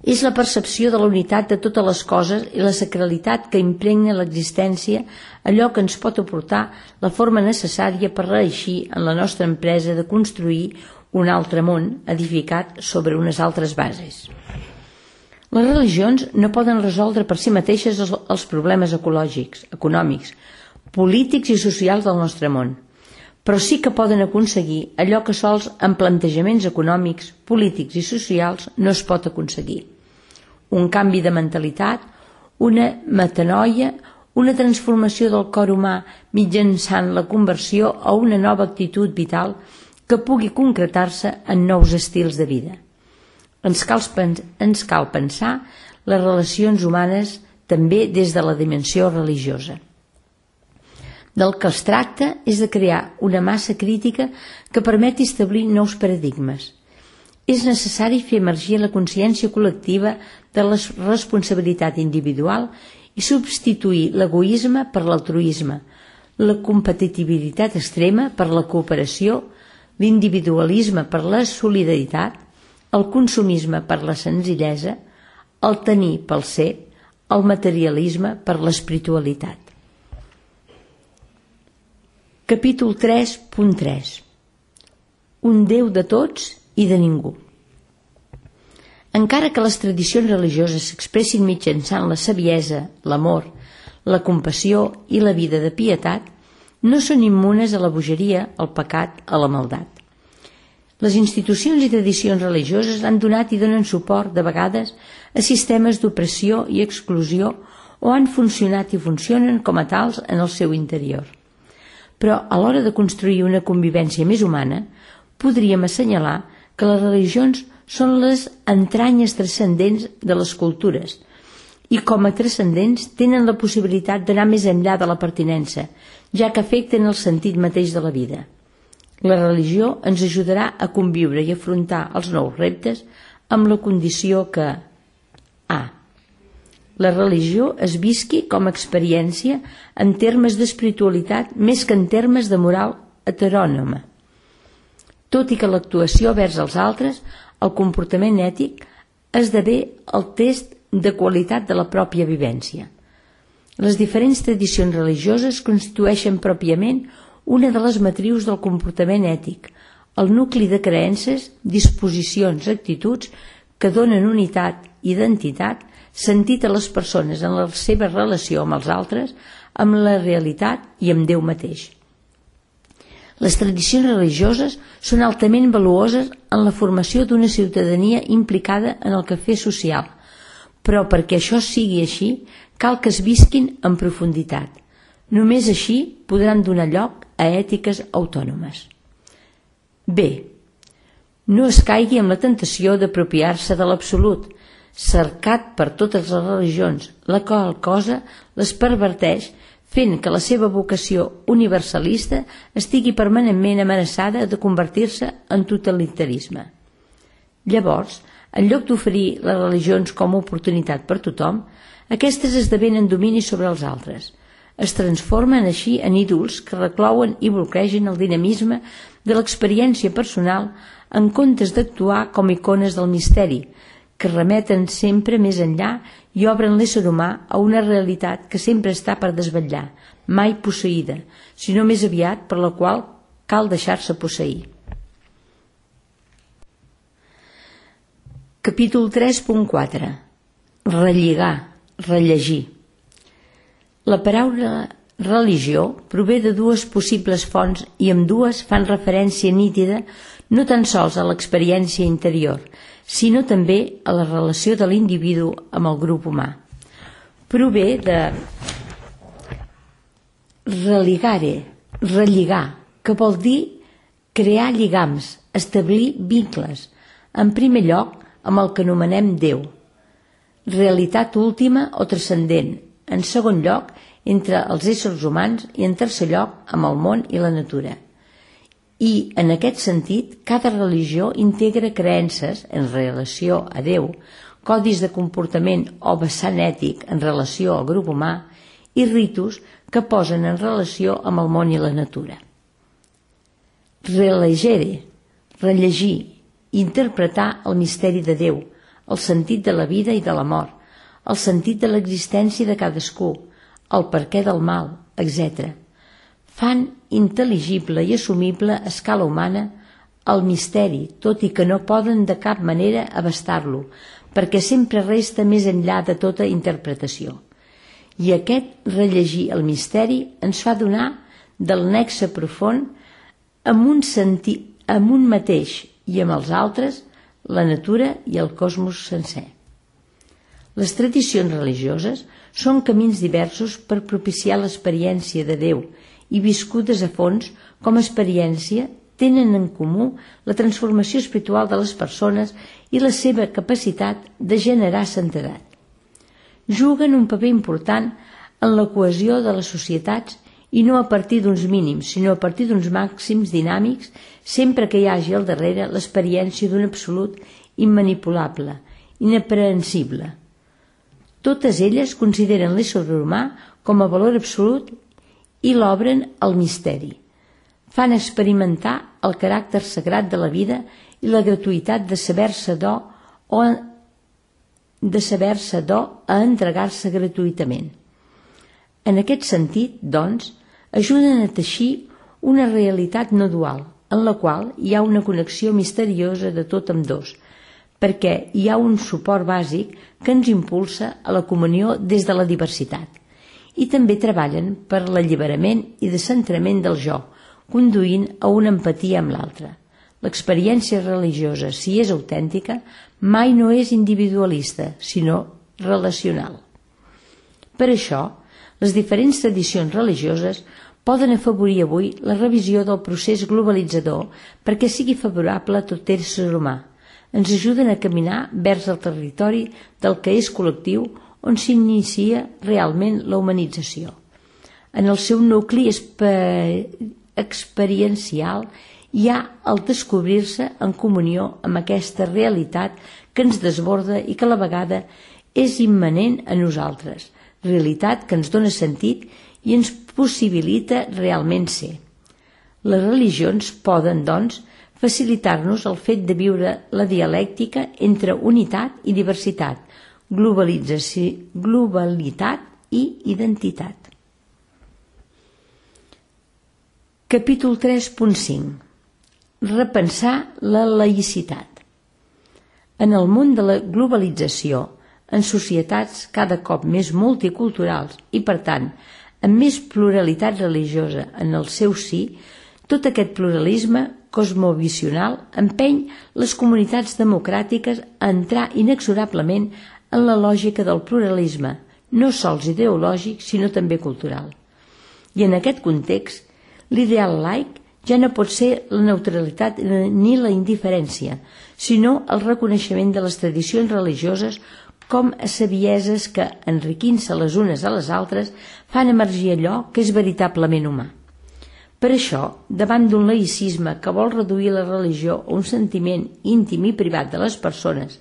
És la percepció de la unitat de totes les coses i la sacralitat que impregna l'existència, allò que ens pot aportar la forma necessària per reeixir en la nostra empresa de construir un altre món edificat sobre unes altres bases. Les religions no poden resoldre per si mateixes els problemes ecològics, econòmics, polítics i socials del nostre món, però sí que poden aconseguir allò que sols amb plantejaments econòmics, polítics i socials no es pot aconseguir. Un canvi de mentalitat, una metanoia, una transformació del cor humà mitjançant la conversió a una nova actitud vital que pugui concretar-se en nous estils de vida. Ens cal pensar les relacions humanes també des de la dimensió religiosa. Del que es tracta és de crear una massa crítica que permeti establir nous paradigmes. És necessari fer emergir la consciència col·lectiva de la responsabilitat individual i substituir l'egoisme per l'altruisme, la competitivitat extrema per la cooperació, l'individualisme per la solidaritat, el consumisme per la senzillesa, el tenir pel ser, el materialisme per l'espiritualitat. Capítol 3.3. Un Déu de tots i de ningú. Encara que les tradicions religioses s'expressin mitjançant la saviesa, l'amor, la compassió i la vida de pietat, no són immunes a la bogeria, al pecat, a la maldat. Les institucions i tradicions religioses han donat i donen suport, de vegades, a sistemes d'opressió i exclusió o han funcionat i funcionen com a tals en el seu interior. Però a l'hora de construir una convivència més humana, podríem assenyalar que les religions són les entranyes transcendents de les cultures i com a transcendents tenen la possibilitat d'anar més enllà de la pertinença, ja que afecten el sentit mateix de la vida. La religió ens ajudarà a conviure i afrontar els nous reptes amb la condició que a. La religió es visqui com a experiència en termes d'espiritualitat més que en termes de moral heterònoma. Tot i que l'actuació vers els altres, el comportament ètic, esdevé el test de qualitat de la pròpia vivència. Les diferents tradicions religioses constitueixen pròpiament una de les matrius del comportament ètic, el nucli de creences, disposicions, actituds que donen unitat, identitat, sentit a les persones en la seva relació amb els altres, amb la realitat i amb Déu mateix. Les tradicions religioses són altament valuoses en la formació d'una ciutadania implicada en el quefer social, però perquè això sigui així, cal que es visquin en profunditat. Només així podran donar lloc a ètiques autònomes. B. No es caigui en la tentació d'apropiar-se de l'absolut, cercat per totes les religions, la qual cosa les perverteix fent que la seva vocació universalista estigui permanentment amenaçada de convertir-se en totalitarisme. Llavors, en lloc d'oferir les religions com a oportunitat per tothom, aquestes esdevenen domini sobre els altres. Es transformen així en ídols que reclouen i bloquegen el dinamisme de l'experiència personal en comptes d'actuar com icones del misteri, que remeten sempre més enllà i obren l'ésser humà a una realitat que sempre està per desvetllar, mai posseïda, sinó més aviat per la qual cal deixar-se posseir. Capítol 3.4. Relligar, rellegir. La paraula religió prové de dues possibles fonts i ambdues fan referència nítida no tan sols a l'experiència interior, sinó també a la relació de l'individu amb el grup humà. Prové de relligar, que vol dir crear lligams, establir vincles, en primer lloc amb el que anomenem Déu, realitat última o transcendent, en segon lloc entre els éssers humans i en tercer lloc amb el món i la natura. I, en aquest sentit, cada religió integra creences en relació a Déu, codis de comportament o vessant ètic en relació al grup humà i ritus que posen en relació amb el món i la natura. Relegere, rellegir, interpretar el misteri de Déu, el sentit de la vida i de la mort, el sentit de l'existència de cadascú, el perquè del mal, etc. Fan intel·ligible i assumible a escala humana el misteri, tot i que no poden de cap manera abastar-lo, perquè sempre resta més enllà de tota interpretació. I aquest rellegir el misteri ens fa donar del nexe profund amb un mateix i amb els altres, la natura i el cosmos sencer. Les tradicions religioses són camins diversos per propiciar l'experiència de Déu i viscudes a fons com a experiència tenen en comú la transformació espiritual de les persones i la seva capacitat de generar santedat. Juguen un paper important en la cohesió de les societats i no a partir d'uns mínims, sinó a partir d'uns màxims dinàmics, sempre que hi hagi al darrere l'experiència d'un absolut immanipulable, inaprehensible. Totes elles consideren l'ésser humà com a valor absolut i l'obren al misteri. Fan experimentar el caràcter sagrat de la vida i la gratuïtat de saber-se do a entregar-se gratuïtament. En aquest sentit, doncs, ajuden a teixir una realitat no dual, en la qual hi ha una connexió misteriosa de tot amb dos, perquè hi ha un suport bàsic que ens impulsa a la comunió des de la diversitat. I també treballen per l'alliberament i descentrament del jo, conduint a una empatia amb l'altre. L'experiència religiosa, si és autèntica, mai no és individualista, sinó relacional. Per això, les diferents tradicions religioses poden afavorir avui la revisió del procés globalitzador perquè sigui favorable a tot ésser humà. Ens ajuden a caminar vers el territori del que és col·lectiu on s'inicia realment la humanització. En el seu nucli experiencial hi ha el descobrir-se en comunió amb aquesta realitat que ens desborda i que a la vegada és immanent a nosaltres, realitat que ens dona sentit i ens possibilita realment ser. Les religions poden, doncs, facilitar-nos el fet de viure la dialèctica entre unitat i diversitat, globalitat i identitat. Capítol 3.5. Repensar la laïcitat. En el món de la globalització, en societats cada cop més multiculturals i, per tant, amb més pluralitat religiosa en el seu si, tot aquest pluralisme cosmovisional empeny les comunitats democràtiques a entrar inexorablement en la lògica del pluralisme, no sols ideològic, sinó també cultural. I en aquest context, l'ideal laic ja no pot ser la neutralitat ni la indiferència, sinó el reconeixement de les tradicions religioses com a sabieses que, enriquint-se les unes a les altres, fan emergir allò que és veritablement humà. Per això, davant d'un laïcisme que vol reduir la religió a un sentiment íntim i privat de les persones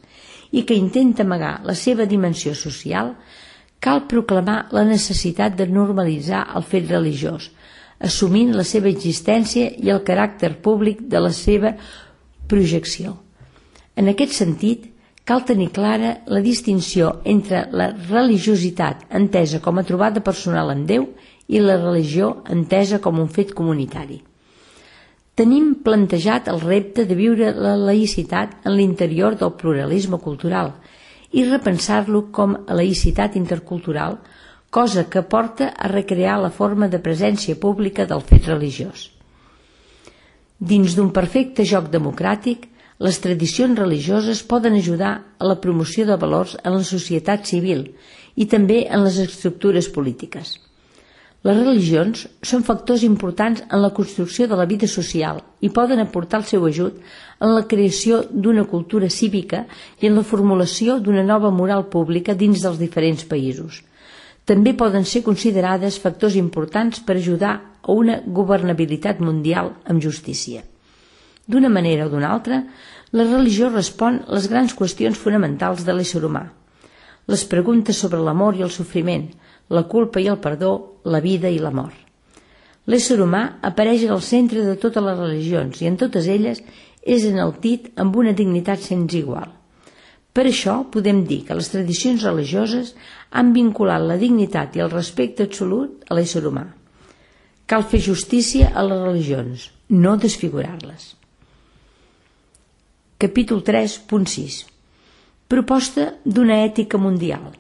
i que intenta amagar la seva dimensió social, cal proclamar la necessitat de normalitzar el fet religiós, assumint la seva existència i el caràcter públic de la seva projecció. En aquest sentit, cal tenir clara la distinció entre la religiositat entesa com a trobada personal amb Déu i la religió entesa com un fet comunitari. Tenim plantejat el repte de viure la laïcitat en l'interior del pluralisme cultural i repensar-lo com a laïcitat intercultural, cosa que porta a recrear la forma de presència pública del fet religiós. Dins d'un perfecte joc democràtic, Les tradicions religioses poden ajudar a la promoció de valors en la societat civil i també en les estructures polítiques. Les religions són factors importants en la construcció de la vida social i poden aportar el seu ajut en la creació d'una cultura cívica i en la formulació d'una nova moral pública dins dels diferents països. També poden ser considerades factors importants per ajudar a una governabilitat mundial amb justícia. D'una manera o d'una altra, la religió respon a les grans qüestions fonamentals de l'ésser humà. Les preguntes sobre l'amor i el sofriment, la culpa i el perdó, la vida i la mort. L'ésser humà apareix al centre de totes les religions i en totes elles és enaltit amb una dignitat sense igual. Per això podem dir que les tradicions religioses han vinculat la dignitat i el respecte absolut a l'ésser humà. Cal fer justícia a les religions, no desfigurar-les. Capítol 3.6. Proposta d'una ètica mundial.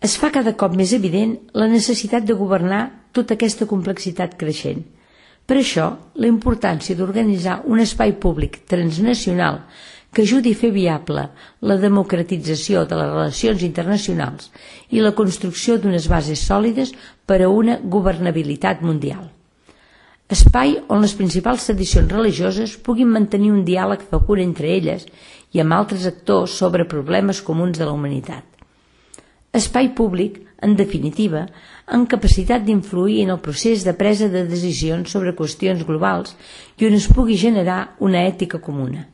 Es fa cada cop més evident la necessitat de governar tota aquesta complexitat creixent. Per això, la importància d'organitzar un espai públic transnacional que ajudi a fer viable la democratització de les relacions internacionals i la construcció d'unes bases sòlides per a una governabilitat mundial. Espai on les principals tradicions religioses puguin mantenir un diàleg fecund entre elles i amb altres actors sobre problemes comuns de la humanitat. Espai públic, en definitiva, amb capacitat d'influir en el procés de presa de decisions sobre qüestions globals i on es pugui generar una ètica comuna.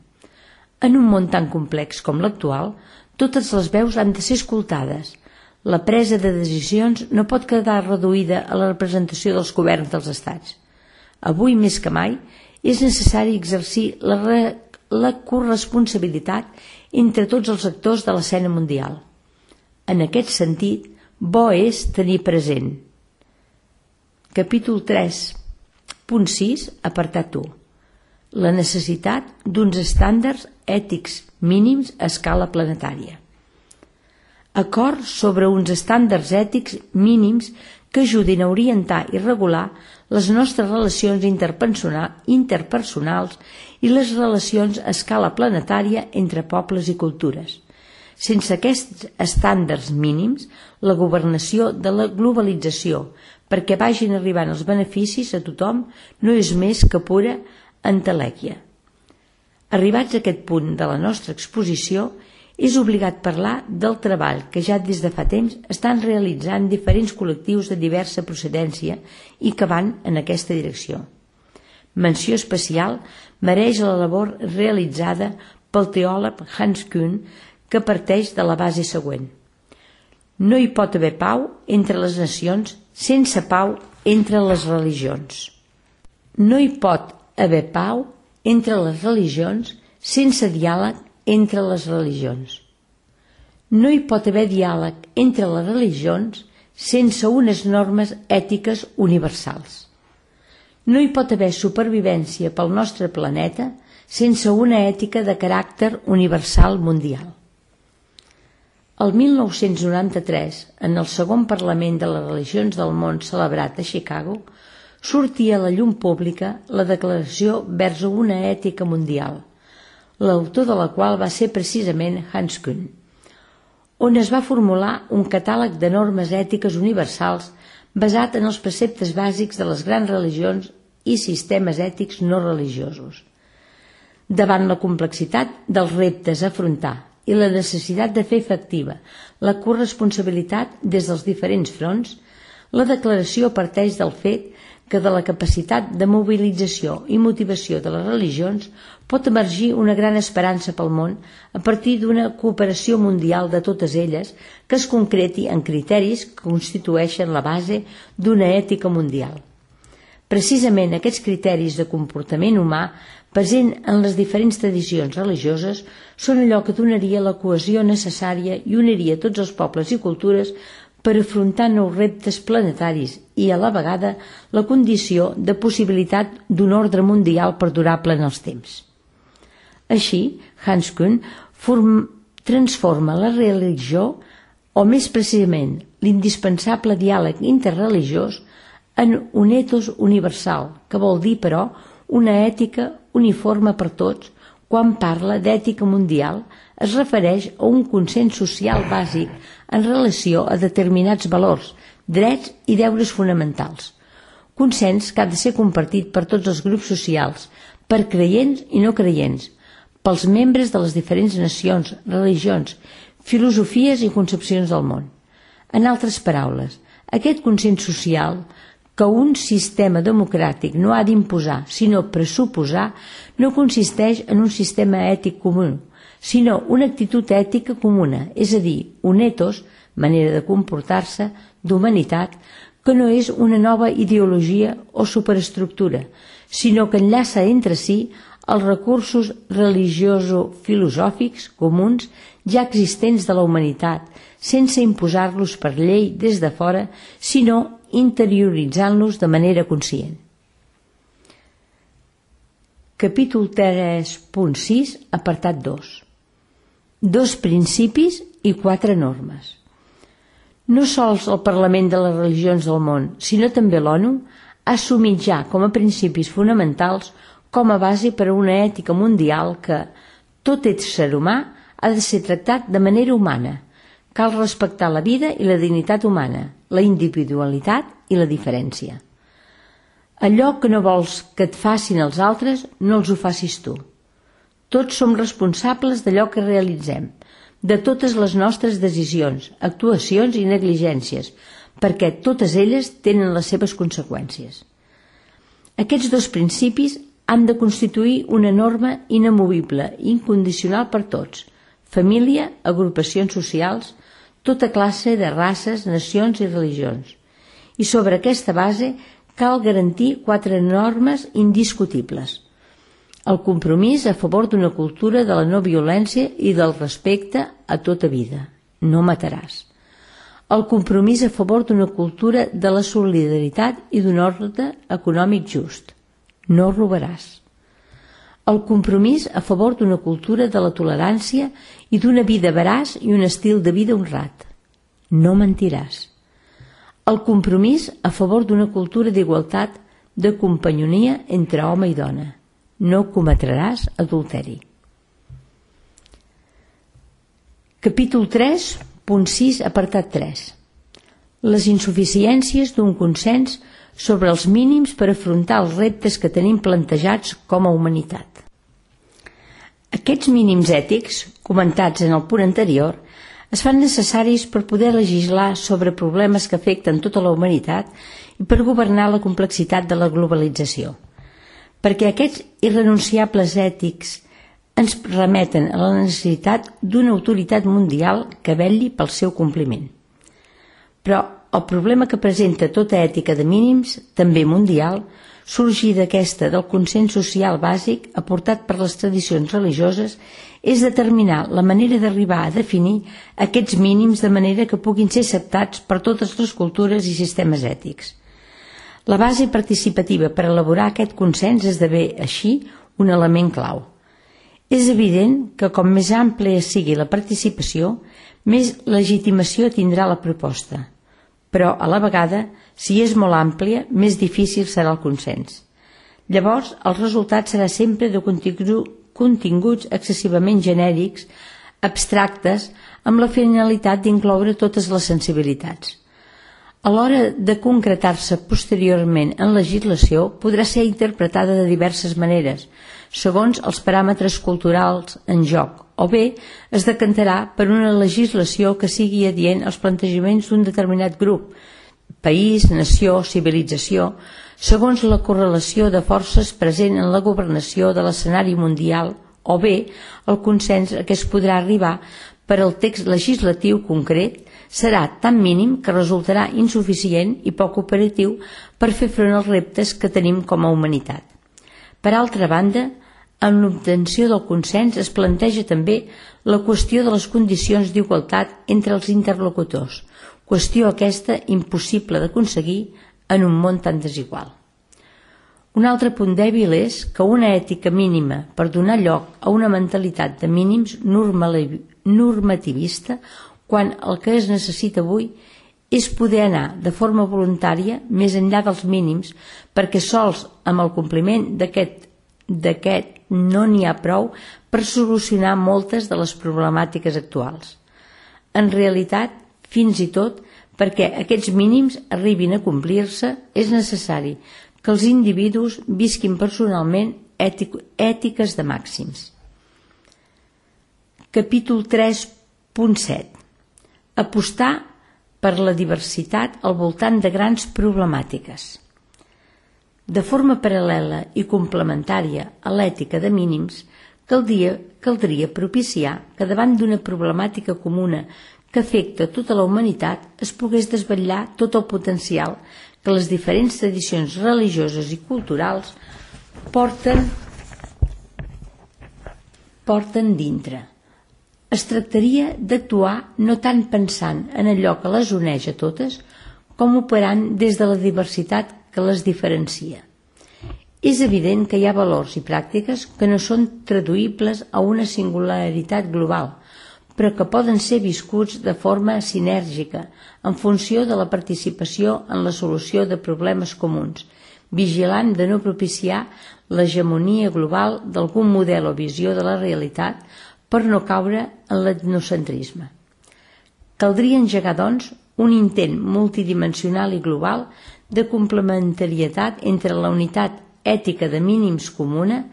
En un món tan complex com l'actual, totes les veus han de ser escoltades. La presa de decisions no pot quedar reduïda a la representació dels governs dels estats. Avui més que mai és necessari exercir la corresponsabilitat entre tots els actors de l'escena mundial. En aquest sentit, bo és tenir present. Capítol 3.6, apartat 1. La necessitat d'uns estàndards ètics mínims a escala planetària. Acord sobre uns estàndards ètics mínims que ajudin a orientar i regular les nostres relacions interpersonals i les relacions a escala planetària entre pobles i cultures. Sense aquests estàndards mínims, la governació de la globalització, perquè vagin arribant els beneficis a tothom, no és més que pura entelèquia. Arribats a aquest punt de la nostra exposició, és obligat parlar del treball que ja des de fa temps estan realitzant diferents col·lectius de diversa procedència i que van en aquesta direcció. Menció especial mereix la labor realitzada pel teòleg Hans Kuhn, que parteix de la base següent. No hi pot haver pau entre les nacions sense pau entre les religions. No hi pot haver pau entre les religions sense diàleg entre les religions. No hi pot haver diàleg entre les religions sense unes normes ètiques universals. No hi pot haver supervivència pel nostre planeta sense una ètica de caràcter universal mundial. El 1993, en el segon Parlament de les Religions del Món celebrat a Chicago, sortia a la llum pública la Declaració vers una ètica mundial, l'autor de la qual va ser precisament Hans Kuhn, on es va formular un catàleg de normes ètiques universals basat en els preceptes bàsics de les grans religions i sistemes ètics no religiosos. Davant la complexitat dels reptes a afrontar i la necessitat de fer efectiva la corresponsabilitat des dels diferents fronts, la declaració parteix del fet que de la capacitat de mobilització i motivació de les religions pot emergir una gran esperança pel món a partir d'una cooperació mundial de totes elles que es concreti en criteris que constitueixen la base d'una ètica mundial. Precisament aquests criteris de comportament humà present en les diferents tradicions religioses són allò que donaria la cohesió necessària i uniria tots els pobles i cultures per afrontar nous reptes planetaris i, a la vegada, la condició de possibilitat d'un ordre mundial perdurable en els temps. Així, Hans Kuhn transforma la religió, o més precisament l'indispensable diàleg interreligiós, en un ethos universal, que vol dir, però, una ètica uniforme per tots, quan parla d'ètica mundial, es refereix a un consens social bàsic en relació a determinats valors, drets i deures fonamentals. Consens que ha de ser compartit per tots els grups socials, per creients i no creients, pels membres de les diferents nacions, religions, filosofies i concepcions del món. En altres paraules, aquest consens social que un sistema democràtic no ha d'imposar, sinó pressuposar, no consisteix en un sistema ètic comú, sinó una actitud ètica comuna, és a dir, un ethos, manera de comportar-se, d'humanitat, que no és una nova ideologia o superestructura, sinó que enllaça entre si els recursos religioso-filosòfics comuns ja existents de la humanitat, sense imposar-los per llei des de fora, sinó interioritzant-los de manera conscient. Capítol 3.6, apartat 2. 2 principis i 4 normes. No sols el Parlament de les religions del món, sinó també l'ONU, ha assumit ja com a principis fonamentals com a base per a una ètica mundial que tot ésser humà ha de ser tractat de manera humana. Cal respectar la vida i la dignitat humana, la individualitat i la diferència. Allò que no vols que et facin els altres, no els ho facis tu. Tots som responsables d'allò que realitzem, de totes les nostres decisions, actuacions i negligències, perquè totes elles tenen les seves conseqüències. Aquests 2 principis han de constituir una norma inamovible i incondicional per tots, família, agrupacions socials, tota classe de races, nacions i religions. I sobre aquesta base cal garantir 4 normes indiscutibles. El compromís a favor d'una cultura de la no violència i del respecte a tota vida. No mataràs. El compromís a favor d'una cultura de la solidaritat i d'un ordre econòmic just. No robaràs. El compromís a favor d'una cultura de la tolerància i d'una vida veraç i un estil de vida honrat. No mentiràs. El compromís a favor d'una cultura d'igualtat, de companyonia entre home i dona. No cometràs adulteri. Capítol 3.6, apartat 3. Les insuficiències d'un consens sobre els mínims per afrontar els reptes que tenim plantejats com a humanitat. Aquests mínims ètics, comentats en el punt anterior, es fan necessaris per poder legislar sobre problemes que afecten tota la humanitat i per governar la complexitat de la globalització. Perquè aquests irrenunciables ètics ens remeten a la necessitat d'una autoritat mundial que vetlli pel seu compliment. Però el problema que presenta tota ètica de mínims, també mundial, sorgir d'aquesta del consens social bàsic aportat per les tradicions religioses és determinar la manera d'arribar a definir aquests mínims de manera que puguin ser acceptats per totes les cultures i sistemes ètics. La base participativa per elaborar aquest consens esdevé, així, un element clau. És evident que com més àmplia sigui la participació, més legitimació tindrà la proposta. Però, a la vegada, si és molt àmplia, més difícil serà el consens. Llavors, el resultat serà sempre de continguts excessivament genèrics, abstractes, amb la finalitat d'incloure totes les sensibilitats. A l'hora de concretar-se posteriorment en legislació, podrà ser interpretada de diverses maneres, segons els paràmetres culturals en joc, o bé es decantarà per una legislació que sigui adient als plantejaments d'un determinat grup, país, nació, civilització, segons la correlació de forces present en la governació de l'escenari mundial, o bé el consens a què es podrà arribar per al text legislatiu concret serà tan mínim que resultarà insuficient i poc operatiu per fer front als reptes que tenim com a humanitat. Per altra banda, en l'obtenció del consens es planteja també la qüestió de les condicions d'igualtat entre els interlocutors, qüestió aquesta impossible d'aconseguir en un món tan desigual. Un altre punt dèbil és que una ètica mínima per donar lloc a una mentalitat de mínims normativista, quan el que es necessita avui és poder anar de forma voluntària més enllà dels mínims, perquè sols amb el compliment d'aquest no n'hi ha prou per solucionar moltes de les problemàtiques actuals. En realitat, fins i tot perquè aquests mínims arribin a complir-se, és necessari que els individus visquin personalment ètiques de màxims. Capítol 3.7. Apostar per la diversitat al voltant de grans problemàtiques. De forma paral·lela i complementària a l'ètica de mínims, caldria propiciar que davant d'una problemàtica comuna que afecta tota la humanitat es pogués desvetllar tot el potencial que les diferents tradicions religioses i culturals porten dintre. Es tractaria d'actuar no tant pensant en allò que les uneix a totes, com operant des de la diversitat que les diferencia. És evident que hi ha valors i pràctiques que no són traduïbles a una singularitat global, però que poden ser viscuts de forma sinèrgica en funció de la participació en la solució de problemes comuns, vigilant de no propiciar l'hegemonia global d'algun model o visió de la realitat per no caure en l'etnocentrisme. Caldria engegar, doncs, un intent multidimensional i global de complementarietat entre la unitat ètica de mínims comuna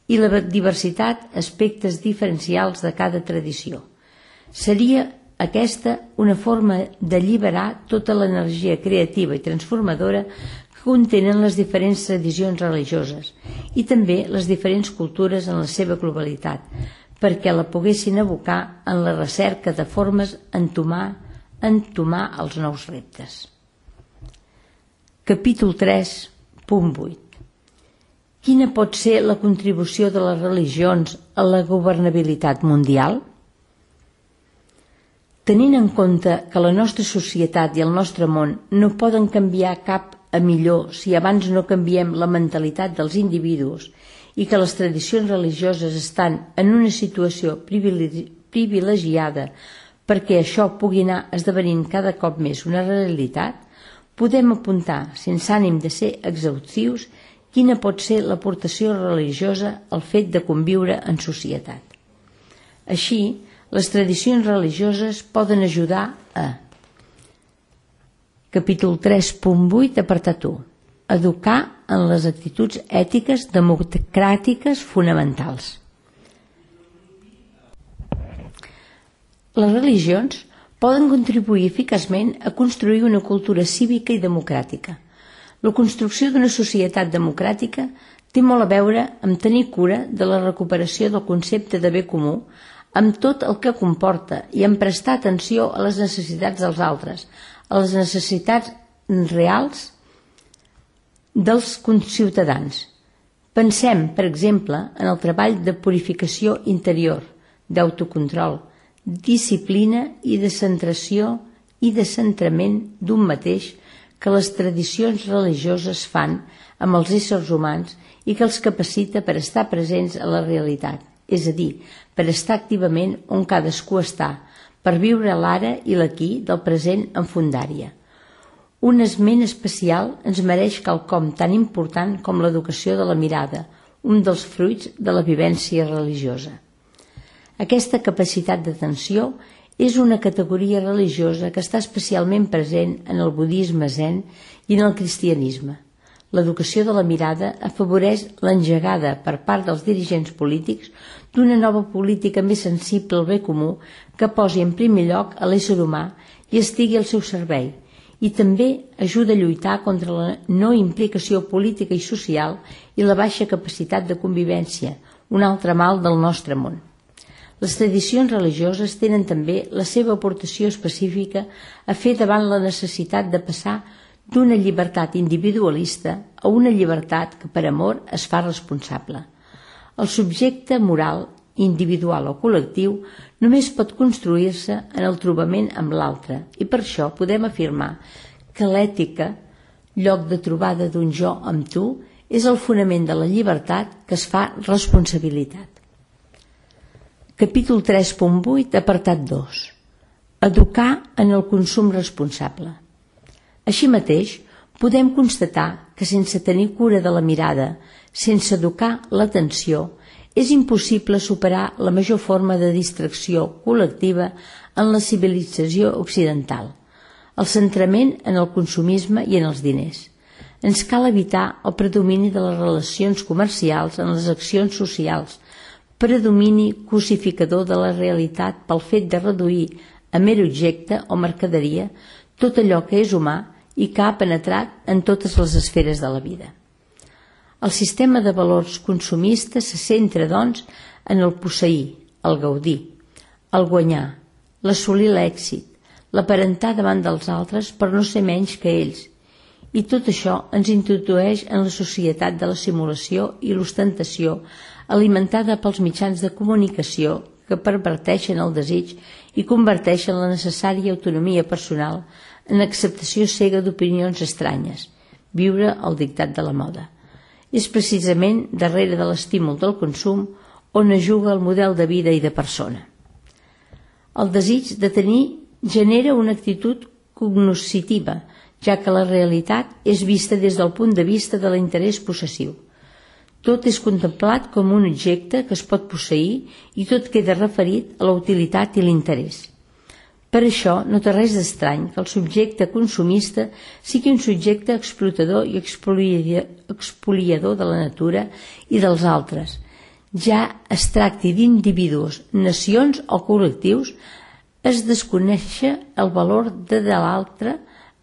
i la diversitat aspectes diferencials de cada tradició. Seria aquesta una forma d'alliberar tota l'energia creativa i transformadora que contenen les diferents tradicions religioses i també les diferents cultures en la seva globalitat, perquè la poguessin abocar en la recerca de formes entomar els nous reptes. Capítol 3.8. Quina pot ser la contribució de les religions a la governabilitat mundial? Tenint en compte que la nostra societat i el nostre món no poden canviar cap a millor si abans no canviem la mentalitat dels individus i que les tradicions religioses estan en una situació privilegiada perquè això pugui anar esdevenint cada cop més una realitat, podem apuntar, sense ànim de ser exhaustius, quina pot ser l'aportació religiosa al fet de conviure en societat. Així, les tradicions religioses poden ajudar a Capítol 3.8, apartat 1. Educar en les actituds ètiques democràtiques fonamentals. Les religions poden contribuir eficaçment a construir una cultura cívica i democràtica. La construcció d'una societat democràtica té molt a veure amb tenir cura de la recuperació del concepte de bé comú, amb tot el que comporta i en prestar atenció a les necessitats dels altres, a les necessitats reals dels ciutadans. Pensem, per exemple, en el treball de purificació interior, d'autocontrol, disciplina i de centració i de centrament d'un mateix que les tradicions religioses fan amb els éssers humans i que els capacita per estar presents a la realitat, és a dir, per estar activament on cadascú està, per viure l'ara i l'aquí del present en fundària. Un esment especial ens mereix quelcom tan important com l'educació de la mirada, un dels fruits de la vivència religiosa. Aquesta capacitat d'atenció és una categoria religiosa que està especialment present en el budisme zen i en el cristianisme. L'educació de la mirada afavoreix l'engegada per part dels dirigents polítics d'una nova política més sensible al bé comú que posi en primer lloc a l'ésser humà i estigui al seu servei, i també ajuda a lluitar contra la no implicació política i social i la baixa capacitat de convivència, un altre mal del nostre món. Les tradicions religioses tenen també la seva aportació específica a fer davant la necessitat de passar d'una llibertat individualista a una llibertat que per amor es fa responsable. El subjecte moral, individual o col·lectiu, només pot construir-se en el trobament amb l'altre i per això podem afirmar que l'ètica, lloc de trobada d'un jo amb tu, és el fonament de la llibertat que es fa responsabilitat. Capítol 3.8, apartat 2. Educar en el consum responsable. Així mateix, podem constatar que sense tenir cura de la mirada, sense educar l'atenció, és impossible superar la major forma de distracció col·lectiva en la civilització occidental, el centrament en el consumisme i en els diners. Ens cal evitar el predomini de les relacions comercials en les accions socials, predomini cosificador de la realitat pel fet de reduir a mer objecte o mercaderia tot allò que és humà i que ha penetrat en totes les esferes de la vida. El sistema de valors consumista se centra, doncs, en el posseir, el gaudir, el guanyar, l'assolir l'èxit, l'aparentar davant dels altres per no ser menys que ells, i tot això ens introdueix en la societat de la simulació i l'ostentació alimentada pels mitjans de comunicació que perverteixen el desig i converteixen la necessària autonomia personal en acceptació cega d'opinions estranyes, viure al dictat de la moda. És precisament darrere de l'estímul del consum on es juga el model de vida i de persona. El desig de tenir genera una actitud cognoscitiva, ja que la realitat és vista des del punt de vista de l'interès possessiu. Tot és contemplat com un objecte que es pot posseir i tot queda referit a la utilitat i l'interès. Per això no té res d'estrany que el subjecte consumista sigui un subjecte explotador i expoliador de la natura i dels altres. Ja es tracti d'individus, nacions o col·lectius, es desconeix el valor de l'altre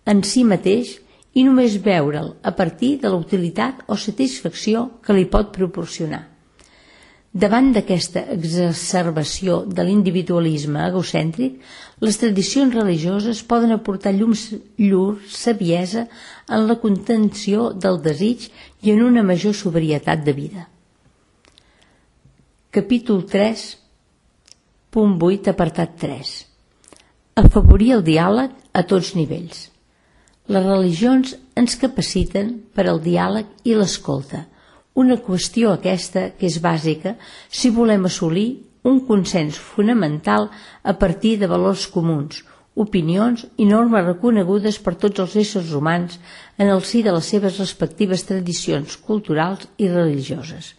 en si mateix i només veure'l a partir de la utilitat o satisfacció que li pot proporcionar. Davant d'aquesta exacerbació de l'individualisme egocèntric, les tradicions religioses poden aportar llur saviesa en la contenció del desig i en una major sobrietat de vida. Capítol 3, punt 8, apartat 3. Afavorir el diàleg a tots nivells. Les religions ens capaciten per al diàleg i l'escolta, una qüestió aquesta que és bàsica si volem assolir un consens fonamental a partir de valors comuns, opinions i normes reconegudes per tots els éssers humans en el si de les seves respectives tradicions culturals i religioses.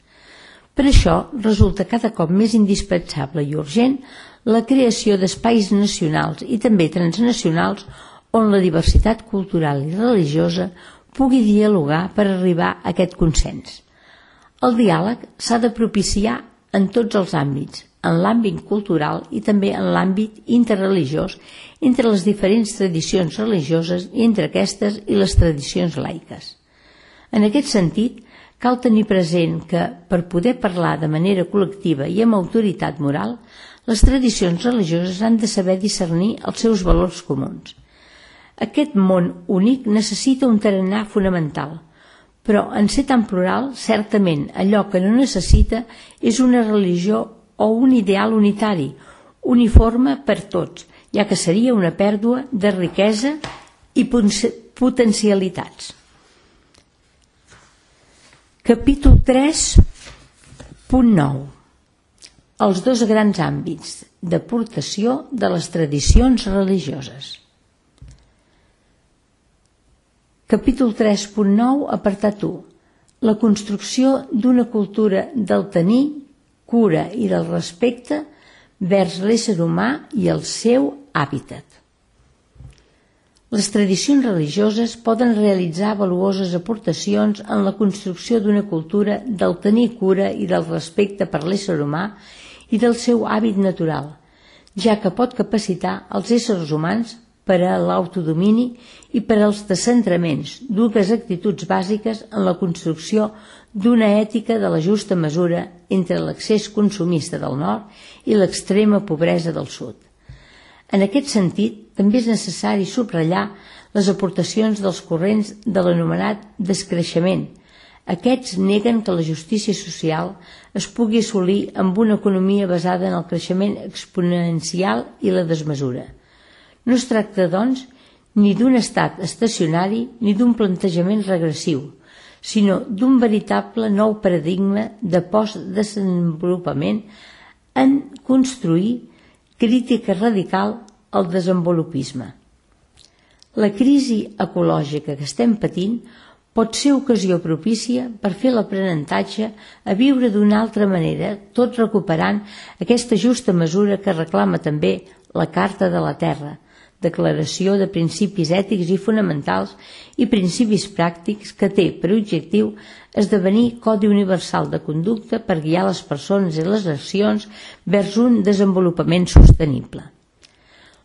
Per això resulta cada cop més indispensable i urgent la creació d'espais nacionals i també transnacionals on la diversitat cultural i religiosa pugui dialogar per arribar a aquest consens. El diàleg s'ha de propiciar en tots els àmbits, en l'àmbit cultural i també en l'àmbit interreligiós entre les diferents tradicions religioses i entre aquestes i les tradicions laiques. En aquest sentit, cal tenir present que, per poder parlar de manera col·lectiva i amb autoritat moral, les tradicions religioses han de saber discernir els seus valors comuns. Aquest món únic necessita un tarannà fonamental, però en ser tan plural, certament allò que no necessita és una religió o un ideal unitari, uniforme per tots, ja que seria una pèrdua de riquesa i potencialitats. Capítol 3, punt 9. Els dos grans àmbits d'aportació de les tradicions religioses. Capítol 3.9, apartat 1. La construcció d'una cultura del tenir, cura i del respecte vers l'ésser humà i el seu hàbitat. Les tradicions religioses poden realitzar valuoses aportacions en la construcció d'una cultura del tenir cura i del respecte per l'ésser humà i del seu hàbit natural, ja que pot capacitar els éssers humans per a l'autodomini i per als descentraments, dues actituds bàsiques en la construcció d'una ètica de la justa mesura entre l'accés consumista del nord i l'extrema pobresa del sud. En aquest sentit, també és necessari subratllar les aportacions dels corrents de l'anomenat descreixement. Aquests neguen que la justícia social es pugui assolir amb una economia basada en el creixement exponencial i la desmesura. No es tracta, doncs, ni d'un estat estacionari ni d'un plantejament regressiu, sinó d'un veritable nou paradigma de postdesenvolupament en construir crítica radical al desenvolupisme. La crisi ecològica que estem patint pot ser ocasió propícia per fer l'aprenentatge a viure d'una altra manera, tot recuperant aquesta justa mesura que reclama també la Carta de la Terra, declaració de principis ètics i fonamentals i principis pràctics que té per objectiu esdevenir codi universal de conducta per guiar les persones i les nacions vers un desenvolupament sostenible.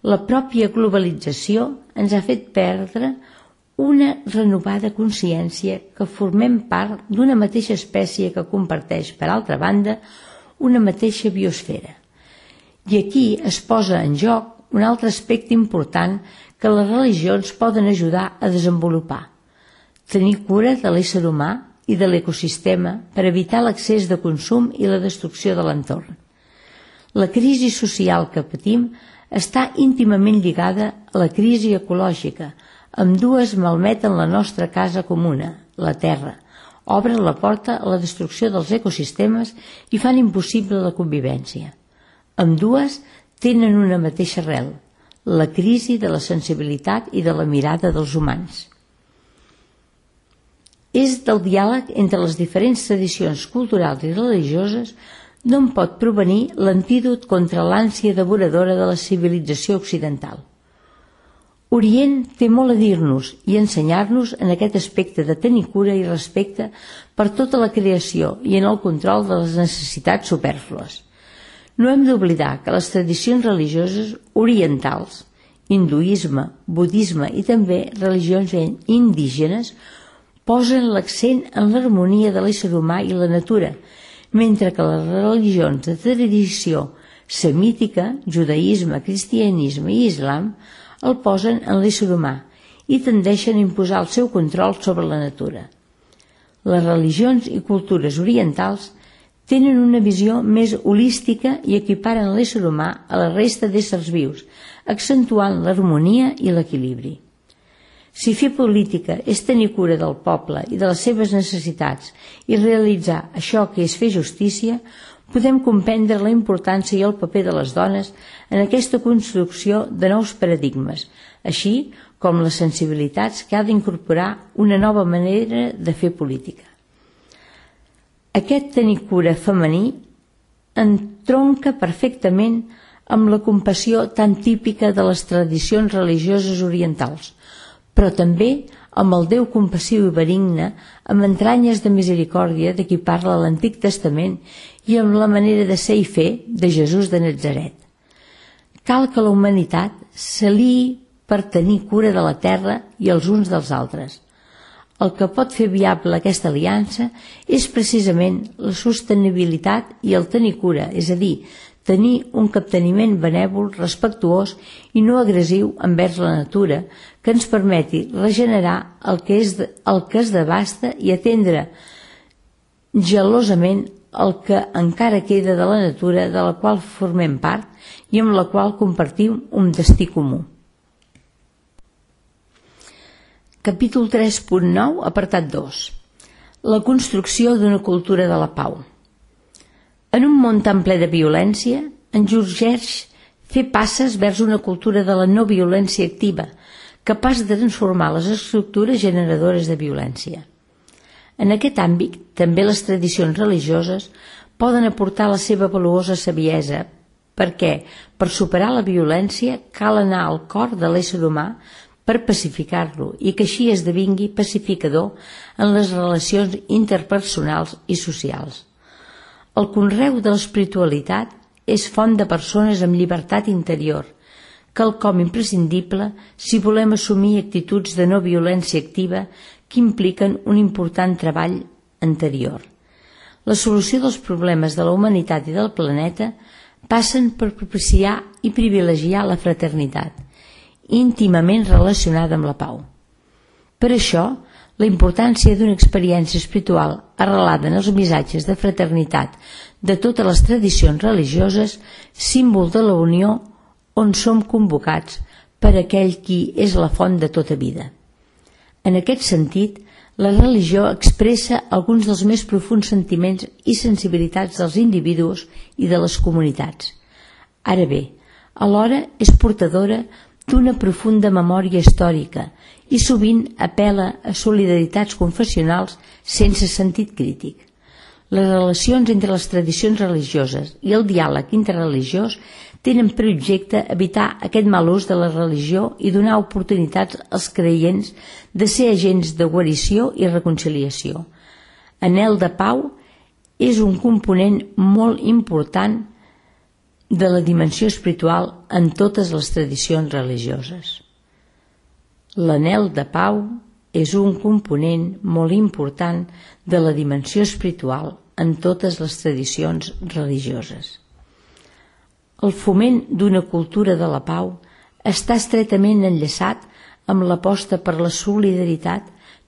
La pròpia globalització ens ha fet perdre una renovada consciència que formem part d'una mateixa espècie que comparteix, per altra banda, una mateixa biosfera. I aquí es posa en joc un altre aspecte important que les religions poden ajudar a desenvolupar: tenir cura de l'ésser humà i de l'ecosistema per evitar l'excés de consum i la destrucció de l'entorn. La crisi social que patim està íntimament lligada a la crisi ecològica. Ambdues malmeten la nostra casa comuna, la Terra, obren la porta a la destrucció dels ecosistemes i fan impossible la convivència. Ambdues tenen una mateixa arrel, la crisi de la sensibilitat i de la mirada dels humans. És del diàleg entre les diferents tradicions culturals i religioses d'on pot provenir l'antídot contra l'ànsia devoradora de la civilització occidental. Orient té molt a dir-nos i ensenyar-nos en aquest aspecte de tenir cura i respecte per tota la creació i en el control de les necessitats supèrflues. No hem d'oblidar que les tradicions religioses orientals, hinduisme, budisme i també religions indígenes, posen l'accent en l'harmonia de l'ésser humà i la natura, mentre que les religions de tradició semítica, judaïsme, cristianisme i islam, el posen en l'ésser humà i tendeixen a imposar el seu control sobre la natura. Les religions i cultures orientals tenen una visió més holística i equiparen l'ésser humà a la resta d'éssers vius, accentuant l'harmonia i l'equilibri. Si fer política és tenir cura del poble i de les seves necessitats i realitzar això que és fer justícia, podem comprendre la importància i el paper de les dones en aquesta construcció de nous paradigmes, així com les sensibilitats que ha d'incorporar una nova manera de fer política. Aquest tenir cura femení entronca perfectament amb la compassió tan típica de les tradicions religioses orientals, però també amb el Déu compassiu i benigne, amb entranyes de misericòrdia de qui parla a l'Antic Testament i amb la manera de ser i fer de Jesús de Natzaret. Cal que la humanitat s'aliï per tenir cura de la terra i els uns dels altres. El que pot fer viable aquesta aliança és precisament la sostenibilitat i el tenir cura, és a dir, tenir un capteniment benèvol, respectuós i no agressiu envers la natura, que ens permeti regenerar el que es devasta i atendre gelosament el que encara queda de la natura de la qual formem part i amb la qual compartim un destí comú. Capítol 3.9, apartat 2. La construcció d'una cultura de la pau. En un món tan ple de violència, ens urgeix fer passes vers una cultura de la no violència activa, capaç de transformar les estructures generadores de violència. En aquest àmbit, també les tradicions religioses poden aportar la seva valuosa saviesa, perquè, per superar la violència, cal anar al cor de l'ésser humà per pacificar-lo i que així esdevingui pacificador en les relacions interpersonals i socials. El conreu de l'espiritualitat és font de persones amb llibertat interior, quelcom imprescindible si volem assumir actituds de no violència activa que impliquen un important treball interior. La solució dels problemes de la humanitat i del planeta passen per propiciar i privilegiar la fraternitat, íntimament relacionada amb la pau. Per això, la importància d'una experiència espiritual arrelada en els missatges de fraternitat de totes les tradicions religioses, símbol de la unió on som convocats per aquell qui és la font de tota vida. En aquest sentit, la religió expressa alguns dels més profunds sentiments i sensibilitats dels individus i de les comunitats. Ara bé, alhora és portadora d'una profunda memòria històrica i sovint apel·la a solidaritats confessionals sense sentit crític. Les relacions entre les tradicions religioses i el diàleg interreligiós tenen per objecte evitar aquest mal ús de la religió i donar oportunitats als creients de ser agents de guarició i reconciliació. Anhel de pau és un component molt important de la dimensió espiritual en totes les tradicions religioses. L'anhel de pau és un component molt important de la dimensió espiritual en totes les tradicions religioses. El foment d'una cultura de la pau està estretament enllaçat amb l'aposta per la solidaritat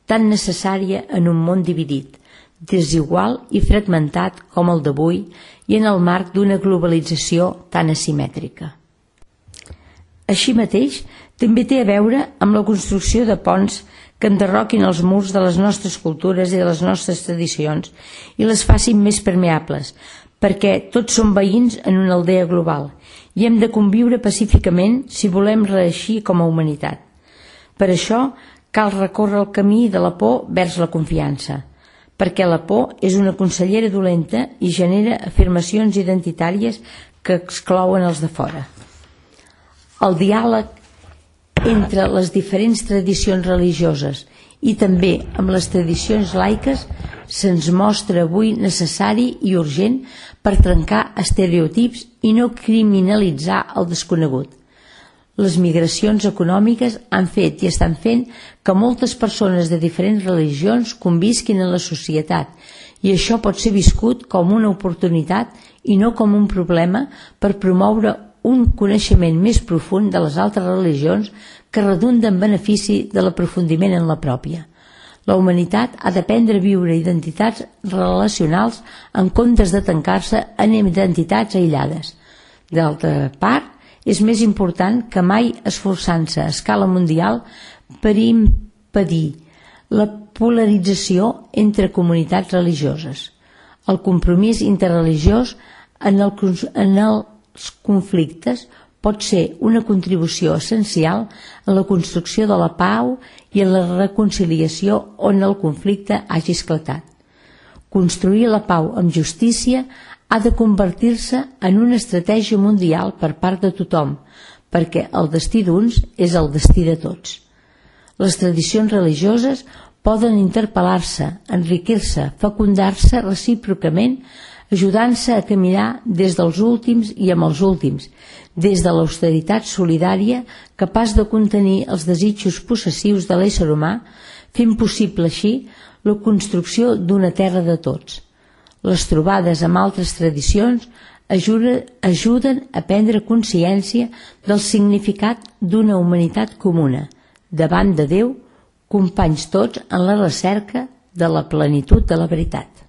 tan necessària en un món dividit, desigual i fragmentat com el d'avui i en el marc d'una globalització tan asimètrica. Així mateix, també té a veure amb la construcció de ponts que enderroquin els murs de les nostres cultures i de les nostres tradicions i les facin més permeables, perquè tots som veïns en una aldea global i hem de conviure pacíficament si volem reeixir com a humanitat. Per això cal recórrer el camí de la por vers la confiança, perquè la por és una consellera dolenta i genera afirmacions identitàries que exclouen els de fora. El diàleg entre les diferents tradicions religioses i també amb les tradicions laiques se'ns mostra avui necessari i urgent per trencar estereotips i no criminalitzar el desconegut. Les migracions econòmiques han fet i estan fent que moltes persones de diferents religions convisquin en la societat i això pot ser viscut com una oportunitat i no com un problema per promoure un coneixement més profund de les altres religions que redunda en benefici de l'aprofundiment en la pròpia. La humanitat ha d'aprendre a viure identitats relacionals en comptes de tancar-se en identitats aïllades. D'altra part, és més important que mai esforçant-se a escala mundial per impedir la polarització entre comunitats religioses. El compromís interreligiós en els conflictes pot ser una contribució essencial en la construcció de la pau i en la reconciliació on el conflicte hagi esclatat. Construir la pau amb justícia ha de convertir-se en una estratègia mundial per part de tothom, perquè el destí d'uns és el destí de tots. Les tradicions religioses poden interpel·lar-se, enriquir-se, fecundar-se recíprocament, ajudant-se a caminar des dels últims i amb els últims, des de l'austeritat solidària capaç de contenir els desitjos possessius de l'ésser humà, fent possible així la construcció d'una terra de tots. Les trobades amb altres tradicions ajuden a prendre consciència del significat d'una humanitat comuna, davant de Déu, companys tots en la recerca de la plenitud de la veritat.